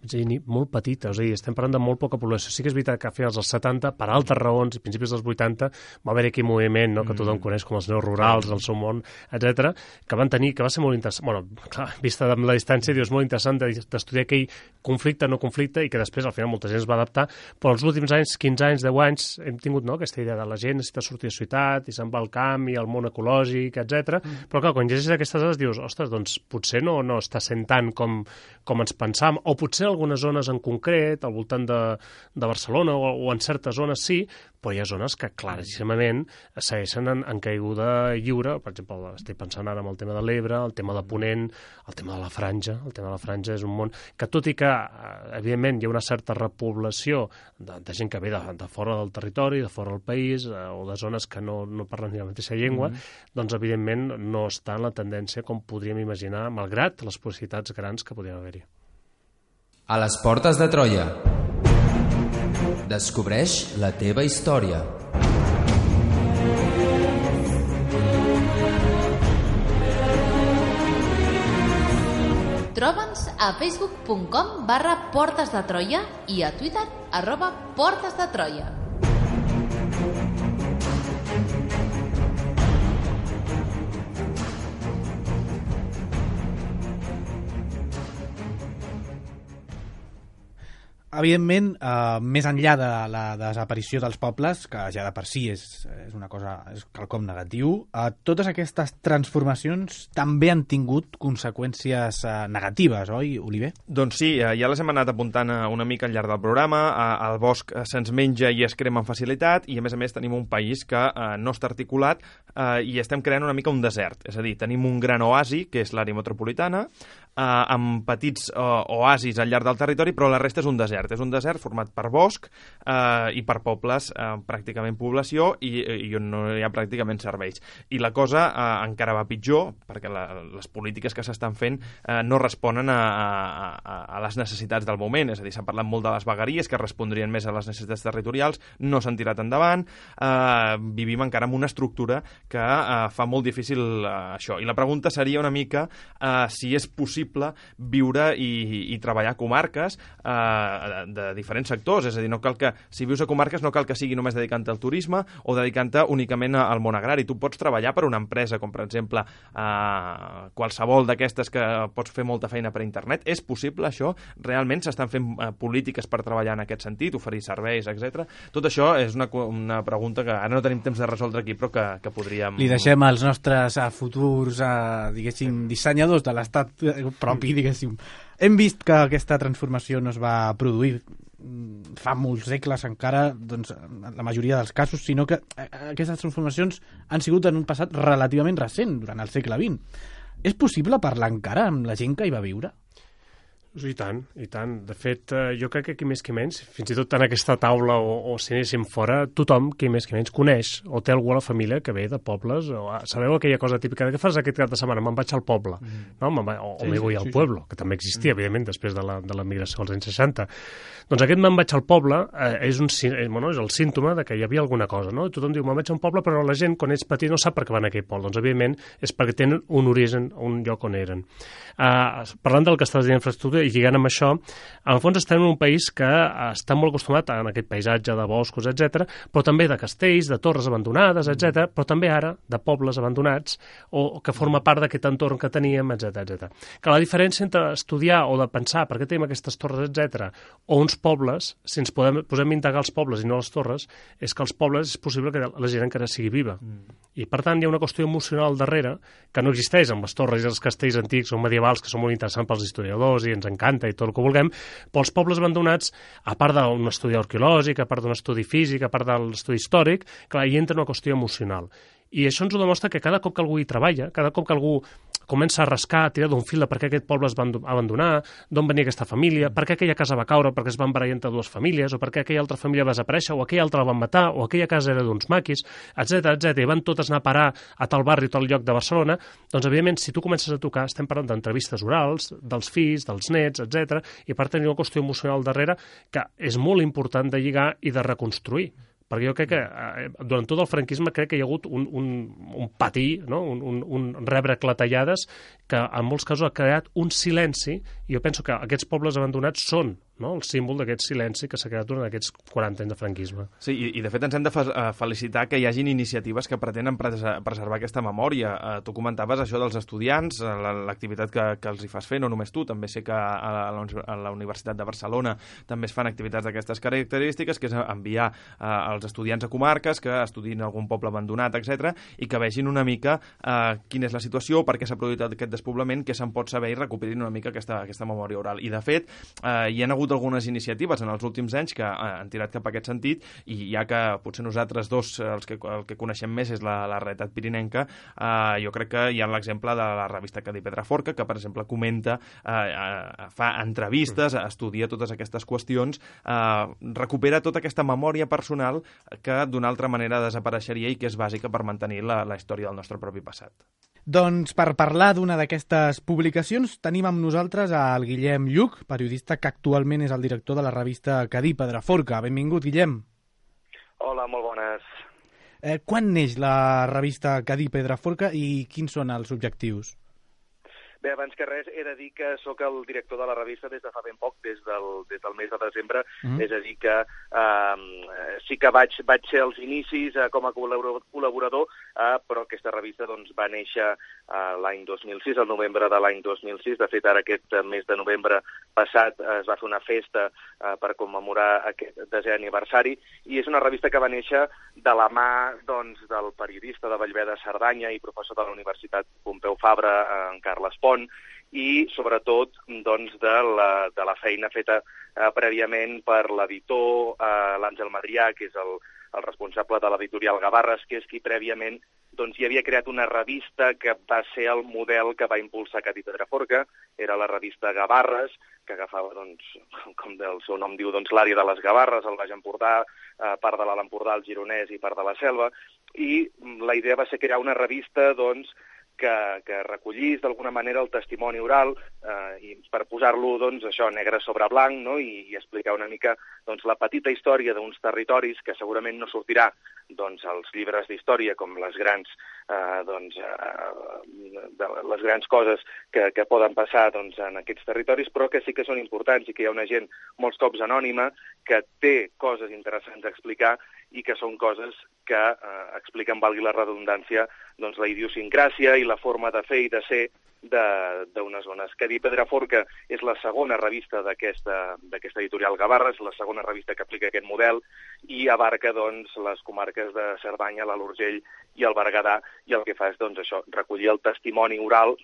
Speaker 4: gent molt petita, és a dir, estem parlant de molt poca població. Sí que és veritat que a finals dels 70, per altres raons, i principis dels 80, va haver aquell moviment, no?, que tothom coneix com els neorurals, el seu món, etc, que van tenir, que va ser molt interessant, bueno, clar, vista de la distància, dius, molt interessant d'estudiar aquell conflicte, no conflicte, i que després, al final, molta gent es va adaptar, però els últims anys, 15 anys, 10 anys, hem tingut, no?, aquesta idea de la gent necessita sortir de ciutat i se'n va al camp i al món ecològic, etc. Però clar, quan llegeixes aquestes dades dius, ostres, doncs potser no està sent tant com ens pensàvem, o potser en algunes zones en concret, al voltant de Barcelona o en certes zones sí, però hi ha zones que claríssimament segueixen en caiguda lliure. Per exemple, estic pensant ara en el tema de l'Ebre, el tema de Ponent, el tema de la Franja. El tema de la Franja és un món que, tot i que, evidentment, hi ha una certa repoblació de gent que ve de fora del territori, de fora del país, o de zones que no parlen ni la mateixa llengua, doncs, evidentment, no està en la tendència com podríem imaginar, malgrat les possibilitats grans que podrien haver-hi.
Speaker 5: A les portes de Troia. Descobreix la teva història.
Speaker 1: Troba'ns a facebook.com/Portes de Troia i a Twitter @Portes de Troia.
Speaker 2: Evidentment, més enllà de la desaparició dels pobles, que ja de per si és una cosa, és quelcom negatiu, totes aquestes transformacions també han tingut conseqüències negatives, oi, Oliver?
Speaker 3: Doncs sí, ja les hem anat apuntant una mica al llarg del programa. El bosc se'ns menja i es crema amb facilitat i, a més, tenim un país que no està articulat i estem creant una mica un desert. És a dir, tenim un gran oasi, que és l'àrea metropolitana, amb petits oasis al llarg del territori, però la resta és un desert. És un desert format per bosc i per pobles, pràcticament població, i on no hi ha pràcticament serveis. I la cosa encara va pitjor, perquè les polítiques que s'estan fent no responen a les necessitats del moment. És a dir, s'ha parlat molt de les vegueries, que respondrien més a les necessitats territorials, no s'han tirat endavant, vivim encara en una estructura que fa molt difícil això. I la pregunta seria una mica si és possible possible viure i treballar a comarques de diferents sectors, és a dir, no cal que, si vius a comarques no cal que sigui només dedicant-te al turisme o dedicant-te únicament al món agrari. Tu pots treballar per una empresa, com per exemple qualsevol d'aquestes que pots fer molta feina per internet. És possible això? Realment s'estan fent polítiques per treballar en aquest sentit, oferir serveis, etc. Tot això és una pregunta que ara no tenim temps de resoldre aquí, però que podríem...
Speaker 2: Li deixem als nostres futurs, diguéssim, dissenyadors de l'estat propi, diguéssim. Hem vist que aquesta transformació no es va produir fa molts segles encara, doncs, en la majoria dels casos, sinó que aquestes transformacions han sigut en un passat relativament recent, durant el segle XX. És possible parlar encara amb la gent que hi va viure?
Speaker 4: I tant, i tant. De fet, jo crec que qui més que menys, fins i tot en aquesta taula o si anéssim fora, tothom, qui més que menys, coneix o té algú a la família que ve de pobles. Sabeu aquella cosa típica de què fas aquest cap de setmana? Me'n vaig al poble. No? O me voy al pueblo, que també existia, evidentment, després de la migració als anys 60. Doncs aquest me'n vaig al poble és el símptoma de que hi havia alguna cosa. No? Tothom diu, me'n vaig a un poble, però la gent, quan ets petit, no sap per què van a aquell poble. Doncs, evidentment, és perquè tenen un origen, un lloc on eren. Parlant del que estàs dient infraestructura i lligant amb això, en el fons estem en un país que està molt acostumat a aquest paisatge de boscos, etc, però també de castells, de torres abandonades, etc, però també ara de pobles abandonats o que forma part d'aquest entorn que teníem, etc. Que la diferència entre estudiar o de pensar per què tenim aquestes torres, etc, o uns pobles, si ens posem a integrar els pobles i no les torres, és que els pobles és possible que la gent encara sigui viva. I per tant hi ha una qüestió emocional darrere que no existeix amb les torres i els castells antics o medievals, que són molt interessants pels historiadors i ens encanta i tot el que vulguem, però els pobles abandonats, a part d'un estudi arqueològic, a part d'un estudi físic, a part de l'estudi històric, clar, hi entra una qüestió emocional. I això ens ho demostra que cada cop que algú hi treballa, cada cop que algú comença a rascar, a tirar d'un fil de per què aquest poble es va abandonar, d'on venia aquesta família, per què aquella casa va caure perquè es van barallar entre dues famílies, o per què aquella altra família va desaparèixer, o aquella altra la van matar, o aquella casa era d'uns maquis, etc, i van totes anar a parar a tal barri o tal lloc de Barcelona, doncs, evidentment, si tu comences a tocar, estem parlant d'entrevistes orals, dels fills, dels nets, etc, i per tenir una qüestió emocional darrere que és molt important de lligar i de reconstruir. Perquè jo crec que durant tot el franquisme crec que hi ha hagut un patí, no? un rebre clatellades que en molts casos ha creat un silenci, i jo penso que aquests pobles abandonats són el símbol d'aquest silenci que s'ha creat durant aquests 40 anys de franquisme.
Speaker 3: Sí, i de fet ens hem de felicitar que hi hagin iniciatives que pretenen preservar aquesta memòria. Tu comentaves això dels estudiants, l'activitat que els hi fas fer, no només tu, també sé que a la Universitat de Barcelona també es fan activitats d'aquestes característiques, que és enviar els estudiants a comarques que estudin algun poble abandonat, etc, i que vegin una mica quina és la situació, per què s'ha produït aquest despoblament, què se'n pot saber i recuperin una mica aquesta memòria oral. I de fet, hi ha hagut algunes iniciatives en els últims anys que han tirat cap a aquest sentit, i ja que potser nosaltres dos el que coneixem més és la realitat pirinenca, jo crec que hi ha l'exemple de la revista Cadí Pedraforca, que per exemple comenta, fa entrevistes, estudia totes aquestes qüestions, recupera tota aquesta memòria personal que d'una altra manera desapareixeria i que és bàsica per mantenir la història del nostre propi passat.
Speaker 2: Doncs per parlar d'una d'aquestes publicacions tenim amb nosaltres al Guillem Lluch, periodista que actualment és el director de la revista Cadí Pedraforca. Benvingut, Guillem.
Speaker 8: Hola, molt bones.
Speaker 2: Quan neix la revista Cadí Pedraforca i quins són els objectius?
Speaker 8: Bé, abans que res, he de dir que sóc el director de la revista des de fa ben poc, des del mes de desembre, és a dir que sí que vaig ser als inicis com a col·laborador, però aquesta revista va néixer l'any 2006, el novembre de l'any 2006. De fet, ara aquest mes de novembre passat es va fer una festa per commemorar aquest 10è aniversari, i és una revista que va néixer de la mà del periodista de Bellver de Cerdanya i professor de la Universitat Pompeu Fabra, en Carles Pont, i sobretot de la feina feta prèviament per l'editor, l'Àngel Madrià, que és el responsable de l'editorial Gavarres, que és qui prèviament hi havia creat una revista que va ser el model que va impulsar Cadí Pedraforca. Era la revista Gavarres, que agafava, com el seu nom diu, l'àrea de les Gavarres, el Baix Empordà, part de l'Alt Empordà, el Gironès i part de la Selva, i la idea va ser crear una revista que recollís d'alguna manera el testimoni oral i per posar-lo, doncs, això, negre sobre blanc, no? I explicar una mica doncs, la petita història d'uns territoris que segurament no sortirà doncs, als llibres d'història com les grans, les grans coses que poden passar doncs, en aquests territoris, però que sí que són importants i que hi ha una gent molts cops anònima que té coses interessants a explicar i que són coses que expliquen, valgui la redundància, doncs, la idiosincràsia i la forma de fer i de ser d'unes zones. Cadí Pedraforca és la segona revista d'aquesta editorial Gavarra, és la segona revista que aplica aquest model i abarca doncs, les comarques de Cerdanya, l'Alt Urgell i el Berguedà, i el que fa és doncs, això, recollir el testimoni oral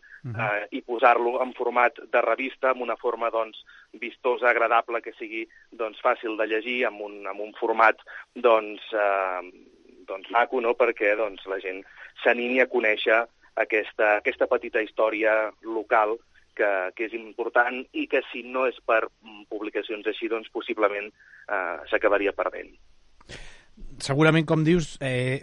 Speaker 8: i posar-lo en format de revista, amb una forma doncs, vistosa, agradable, que sigui doncs, fàcil de llegir, amb un format doncs, maco, no? Perquè doncs, la gent s'animi a conèixer aquesta petita història local que és important i que si no és per publicacions així, doncs possiblement s'acabaria perdent.
Speaker 2: Segurament, com dius,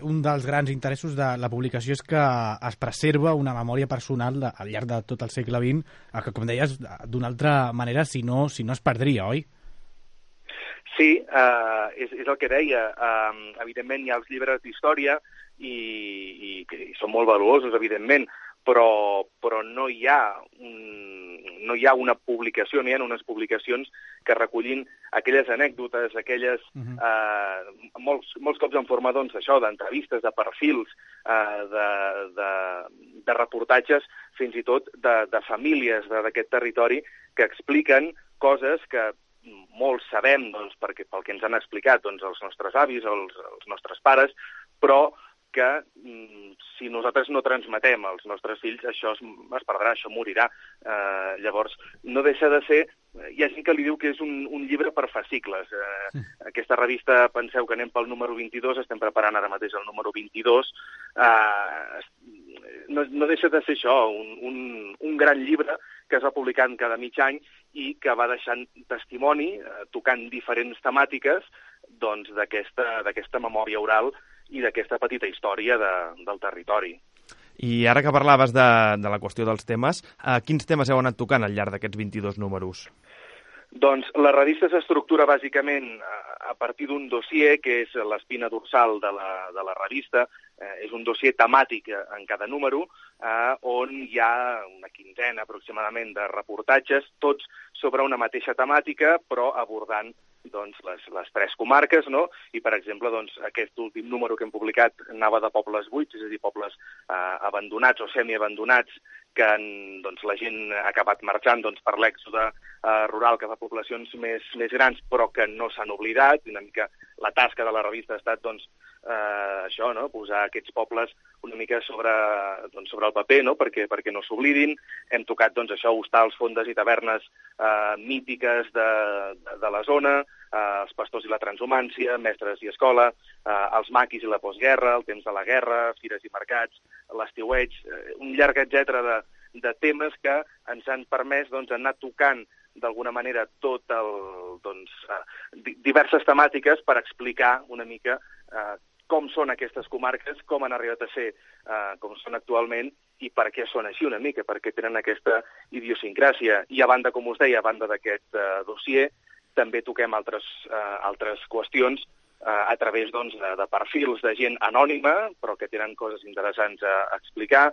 Speaker 2: un dels grans interessos de la publicació és que es preserva una memòria personal al llarg de tot el segle XX, que, com deies, d'una altra manera, si no es perdria, oi?
Speaker 8: Sí, és el que deia. Evidentment hi ha els llibres d'història i són molt valuosos, evidentment, però no hi ha una publicació, no hi ha unes publicacions que recullin aquelles anècdotes, aquelles, molts cops en forma d'entrevistes, de perfils, de reportatges, fins i tot de famílies d'aquest territori que expliquen coses que molts sabem pel que ens han explicat els nostres avis, els nostres pares, però que si nosaltres no transmetem als nostres fills, això es perdrà, això morirà. Llavors, no deixa de ser... Hi ha gent que li diu que és un llibre per fascicles. Aquesta revista, penseu que anem pel número 22, estem preparant ara mateix el número 22. No deixa de ser això, un gran llibre que es va publicant cada mig any i que va deixant testimoni, tocant diferents temàtiques d'aquesta memòria oral i d'aquesta petita història del territori.
Speaker 3: I ara que parlaves de la qüestió dels temes, quins temes heu anat tocant al llarg d'aquests 22 números?
Speaker 8: Doncs la revista s'estructura bàsicament a partir d'un dossier que és l'espina dorsal de la revista. És un dossier temàtic en cada número on hi ha una quinzena aproximadament de reportatges, tots sobre una mateixa temàtica, però abordant les tres comarques, no? I, per exemple, aquest últim número que hem publicat anava de pobles buits, és a dir, pobles abandonats o semiabandonats, que la gent ha acabat marxant per l'èxode rural cap a poblacions més grans, però que no s'han oblidat. Una mica la tasca de la revista ha estat això, no? Posar aquests pobles una mica sobre el paper, no? Perquè no s'oblidin. Hem tocat això, hostals, fondes i tavernes mítiques de la zona, els pastors i la transhumància, mestres i escola, els maquis i la postguerra, el temps de la guerra, fires i mercats, l'estiueig, un llarg etcètera de temes que ens han permès anar tocant d'alguna manera diverses temàtiques per explicar una mica com són aquestes comarques, com han arribat a ser com són actualment i per què són així una mica, perquè tenen aquesta idiosincràsia. I a banda, com us deia, a banda d'aquest dossier, també toquem altres qüestions a través de perfils de gent anònima, però que tenen coses interessants a explicar,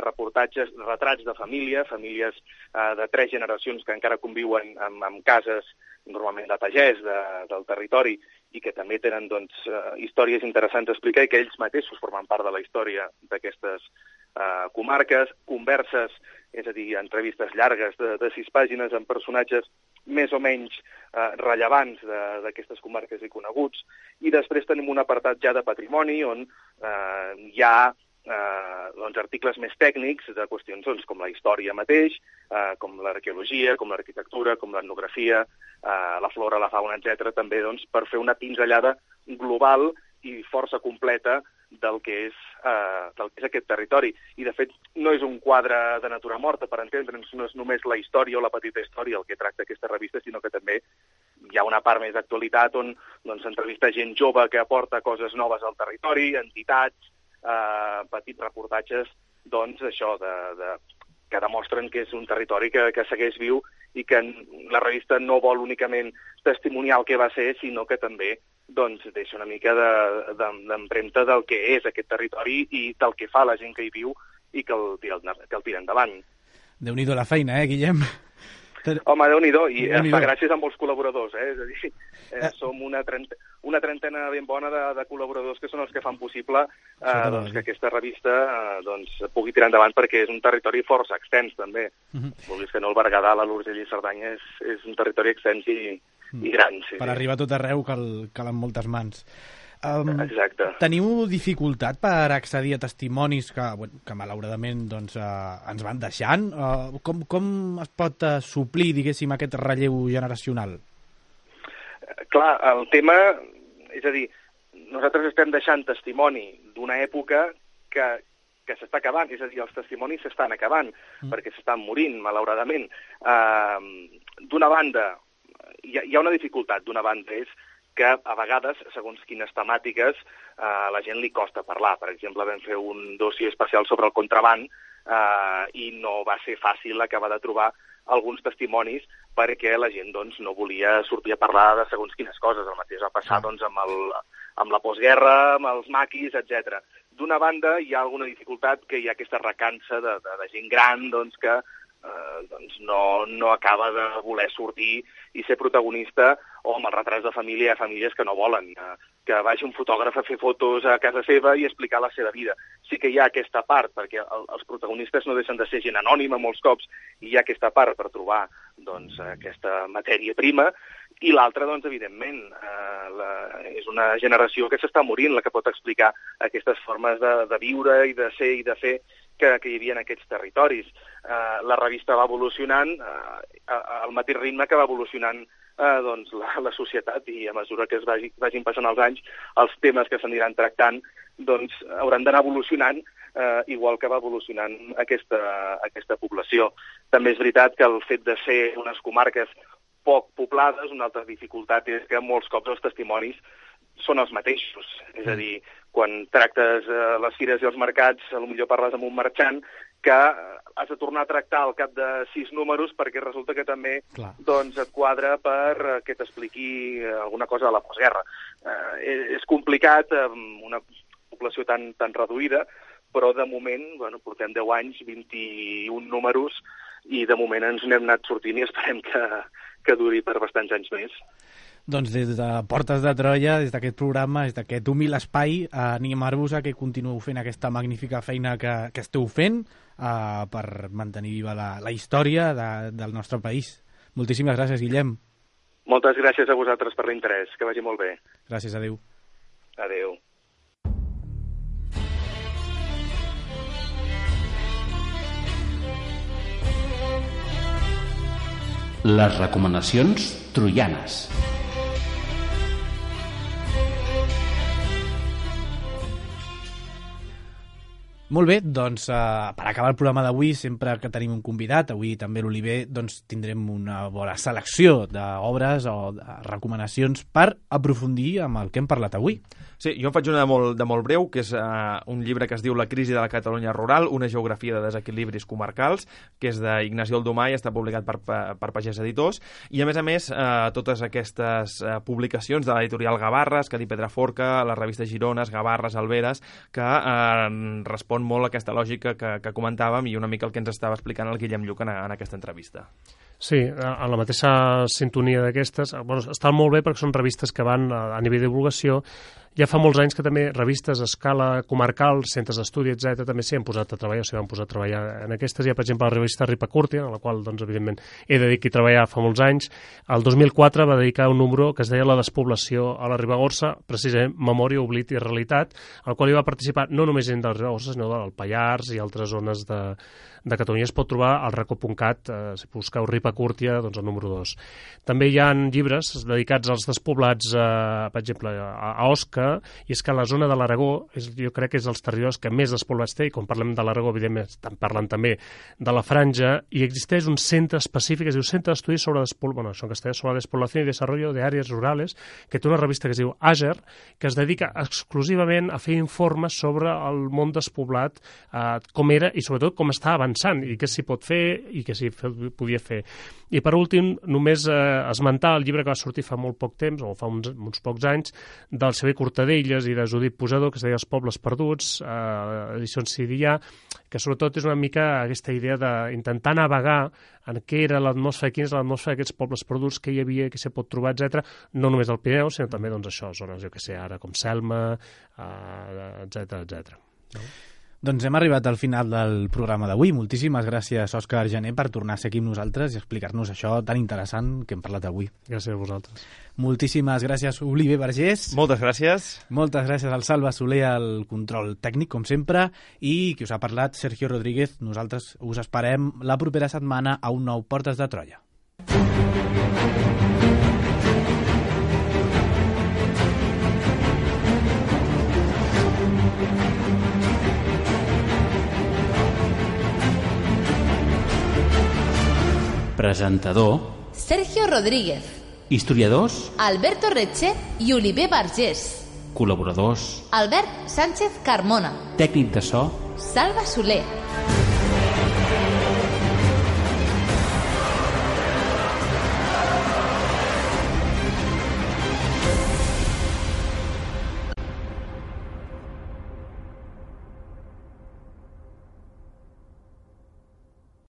Speaker 8: reportatges, retrats de famílies de 3 generacions que encara conviuen amb cases normalment de pagès del territori i que també tenen històries interessants a explicar i que ells mateixos formen part de la història d'aquestes comarques, converses, és a dir, entrevistes llargues de 6 pàgines amb personatges més o menys rellevants d'aquestes comarques i coneguts. I després tenim un apartat ja de patrimoni on hi ha articles més tècnics de qüestions com la història mateix, com l'arqueologia, com l'arquitectura, com l'etnografia, la flora, la fauna, etc. també per fer una pinzellada global i força completa del que és aquest territori. I, de fet, no és un quadre de natura morta, per entendre'ns, no és només la història o la petita història el que tracta aquesta revista, sinó que també hi ha una part més d'actualitat on s'entrevista gent jove que aporta coses noves al territori, entitats, petits reportatges doncs això, que demostren que és un territori que segueix viu i que la revista no vol únicament testimoniar el que va ser, sinó que també doncs, deixa una mica d'empremta del que és aquest territori i del que fa la gent que hi viu i que el tira endavant.
Speaker 2: Déu-n'hi-do la feina, Guillem?
Speaker 8: Home, Déu-n'hi-do, i fa gràcies a molts col·laboradors, és a dir, som una trentena ben bona de col·laboradors que són els que fan possible que aquesta revista pugui tirar endavant, perquè és un territori força extens, també. Vulguis que no, el Berguedà, l'Urgell i Cerdanya és un territori extens i gran.
Speaker 2: Per arribar a tot arreu calen moltes mans.
Speaker 8: Exacte.
Speaker 2: Teniu dificultat per accedir a testimonis que malauradament ens van deixant? Com es pot suplir, diguéssim, aquest relleu generacional?
Speaker 8: Clar, el tema... És a dir, nosaltres estem deixant testimoni d'una època que s'està acabant, és a dir, els testimonis s'estan acabant, perquè s'estan morint, malauradament. D'una banda, hi ha una dificultat, d'una banda és que a vegades, segons quines temàtiques, a la gent li costa parlar. Per exemple, vam fer un dossier especial sobre el contraban i no va ser fàcil acabar de trobar alguns testimonis perquè la gent no volia sortir a parlar de segons quines coses. El mateix va passar amb la postguerra, amb els maquis, etc. D'una banda, hi ha alguna dificultat, que hi ha aquesta recança de gent gran que no acaba de voler sortir i ser protagonista, o amb els retrats de família, hi ha famílies que no volen que vagi un fotògraf a fer fotos a casa seva i explicar la seva vida. Sí que hi ha aquesta part, perquè els protagonistes no deixen de ser gent anònima molts cops, i hi ha aquesta part per trobar aquesta matèria prima, i l'altra, evidentment, és una generació que s'està morint, la que pot explicar aquestes formes de viure i de ser i de fer que hi havia en aquests territoris. La revista va evolucionant al mateix ritme que va evolucionant la societat, i a mesura que es vagin passant els anys, els temes que s'aniran tractant hauran d'anar evolucionant igual que va evolucionant aquesta població. També és veritat que el fet de ser unes comarques poc poblades, una altra dificultat és que molts cops els testimonis són els mateixos. És a dir, quan tractes les fires i els mercats, potser parles amb un marxant que has de tornar a tractar al cap de 6 números perquè resulta que també et quadra per que t'expliqui alguna cosa de la postguerra. És complicat amb una població tan reduïda, però de moment portem 10 anys, 21 números, i de moment ens n'hem anat sortint i esperem que duri per bastants anys més.
Speaker 2: Doncs des de Portes de Troia, des d'aquest programa, des d'aquest humil espai, animar-vos a que continueu fent aquesta magnífica feina que esteu fent per mantenir viva la història del nostre país. Moltíssimes gràcies, Guillem.
Speaker 8: Moltes gràcies a vosaltres per l'interès. Que vagi molt bé.
Speaker 2: Gràcies, adéu.
Speaker 8: Adéu.
Speaker 9: Les recomanacions troianes.
Speaker 2: Molt bé, doncs per acabar el programa d'avui, sempre que tenim un convidat, avui també l'Oliver, tindrem una bona selecció d'obres o de recomanacions per aprofundir amb el que hem parlat avui.
Speaker 3: Sí, jo en faig una de molt breu, que és un llibre que es diu La crisi de la Catalunya rural, una geografia de desequilibris comarcals, que és d'Ignacio Aldomà i està publicat per Pagès Editors, i a més, totes aquestes publicacions de l'editorial Gavarres, Cadí Pedraforca, la revista Girones, Gavarres, Alberes, que respon molt a aquesta lògica que comentàvem i una mica el que ens estava explicant el Guillem Lluc en aquesta entrevista.
Speaker 4: Sí, a la mateixa sintonia d'aquestes, estan molt bé perquè són revistes que van a nivell de divulgació. Ja fa molts anys que també revistes a escala comarcal, centres d'estudi, etc., també s'hi han posat a treballar, o s'hi van posar a treballar en aquestes. Hi ha, per exemple, la revista Ripacurtia, en la qual, evidentment, he de dir que hi treballar fa molts anys. El 2004 va dedicar un número que es deia La despoblació a la Ribagorça, precisament Memòria, Oblit i Realitat, al qual hi va participar no només gent de la Ribagorça, sinó del Pallars i altres zones de Catalunya. Es pot trobar al racó.cat, si busqueu Ripacurtia, el número 2. També hi ha llibres dedicats als despoblats, per exemple, a Osca, aspecte, i és que la zona de l'Aragó jo crec que és dels territoris que més despoblats té, i quan parlem de l'Aragó, evidentment, estem parlant també de la Franja, i existeix un centre específic, es diu Centre d'Estudis sobre la Despoblació i Desarrollo de Àrees Rurales, que té una revista que es diu AGER, que es dedica exclusivament a fer informes sobre el món despoblat, com era i sobretot com està avançant, i què s'hi pot fer i què s'hi podia fer. I per últim, només esmentar el llibre que va sortir fa molt poc temps, o fa uns pocs anys, del Xavier Cortadelles i de Judit Pusador, que es deia Els pobles perduts, edicions Cidià, que sobretot és una mica aquesta idea d'intentar navegar en què era l'atmosfera, quina és l'atmosfera d'aquests pobles perduts, què hi havia, què s'hi pot trobar, etc. No només al Pirineu, sinó també zones, jo que sé, ara com Selma, etc. No?
Speaker 2: Doncs hem arribat al final del programa d'avui. Moltíssimes gràcies, Òscar Gené, per tornar a ser aquí amb nosaltres i explicar-nos això tan interessant que hem parlat avui.
Speaker 4: Gràcies a vosaltres.
Speaker 2: Moltíssimes gràcies, Oliver Vergés.
Speaker 3: Moltes gràcies.
Speaker 2: Moltes gràcies al Salva Soler, al control tècnic, com sempre, i qui us ha parlat, Sergio Rodríguez. Nosaltres us esperem la propera setmana a un nou Portes de Troia.
Speaker 9: Presentador
Speaker 1: Sergio Rodríguez.
Speaker 9: Historiadors
Speaker 1: Alberto Reche i Oliver Vergés.
Speaker 9: Col·laboradors
Speaker 1: Albert Sánchez Carmona.
Speaker 9: Tècnic de so
Speaker 1: Salva Soler.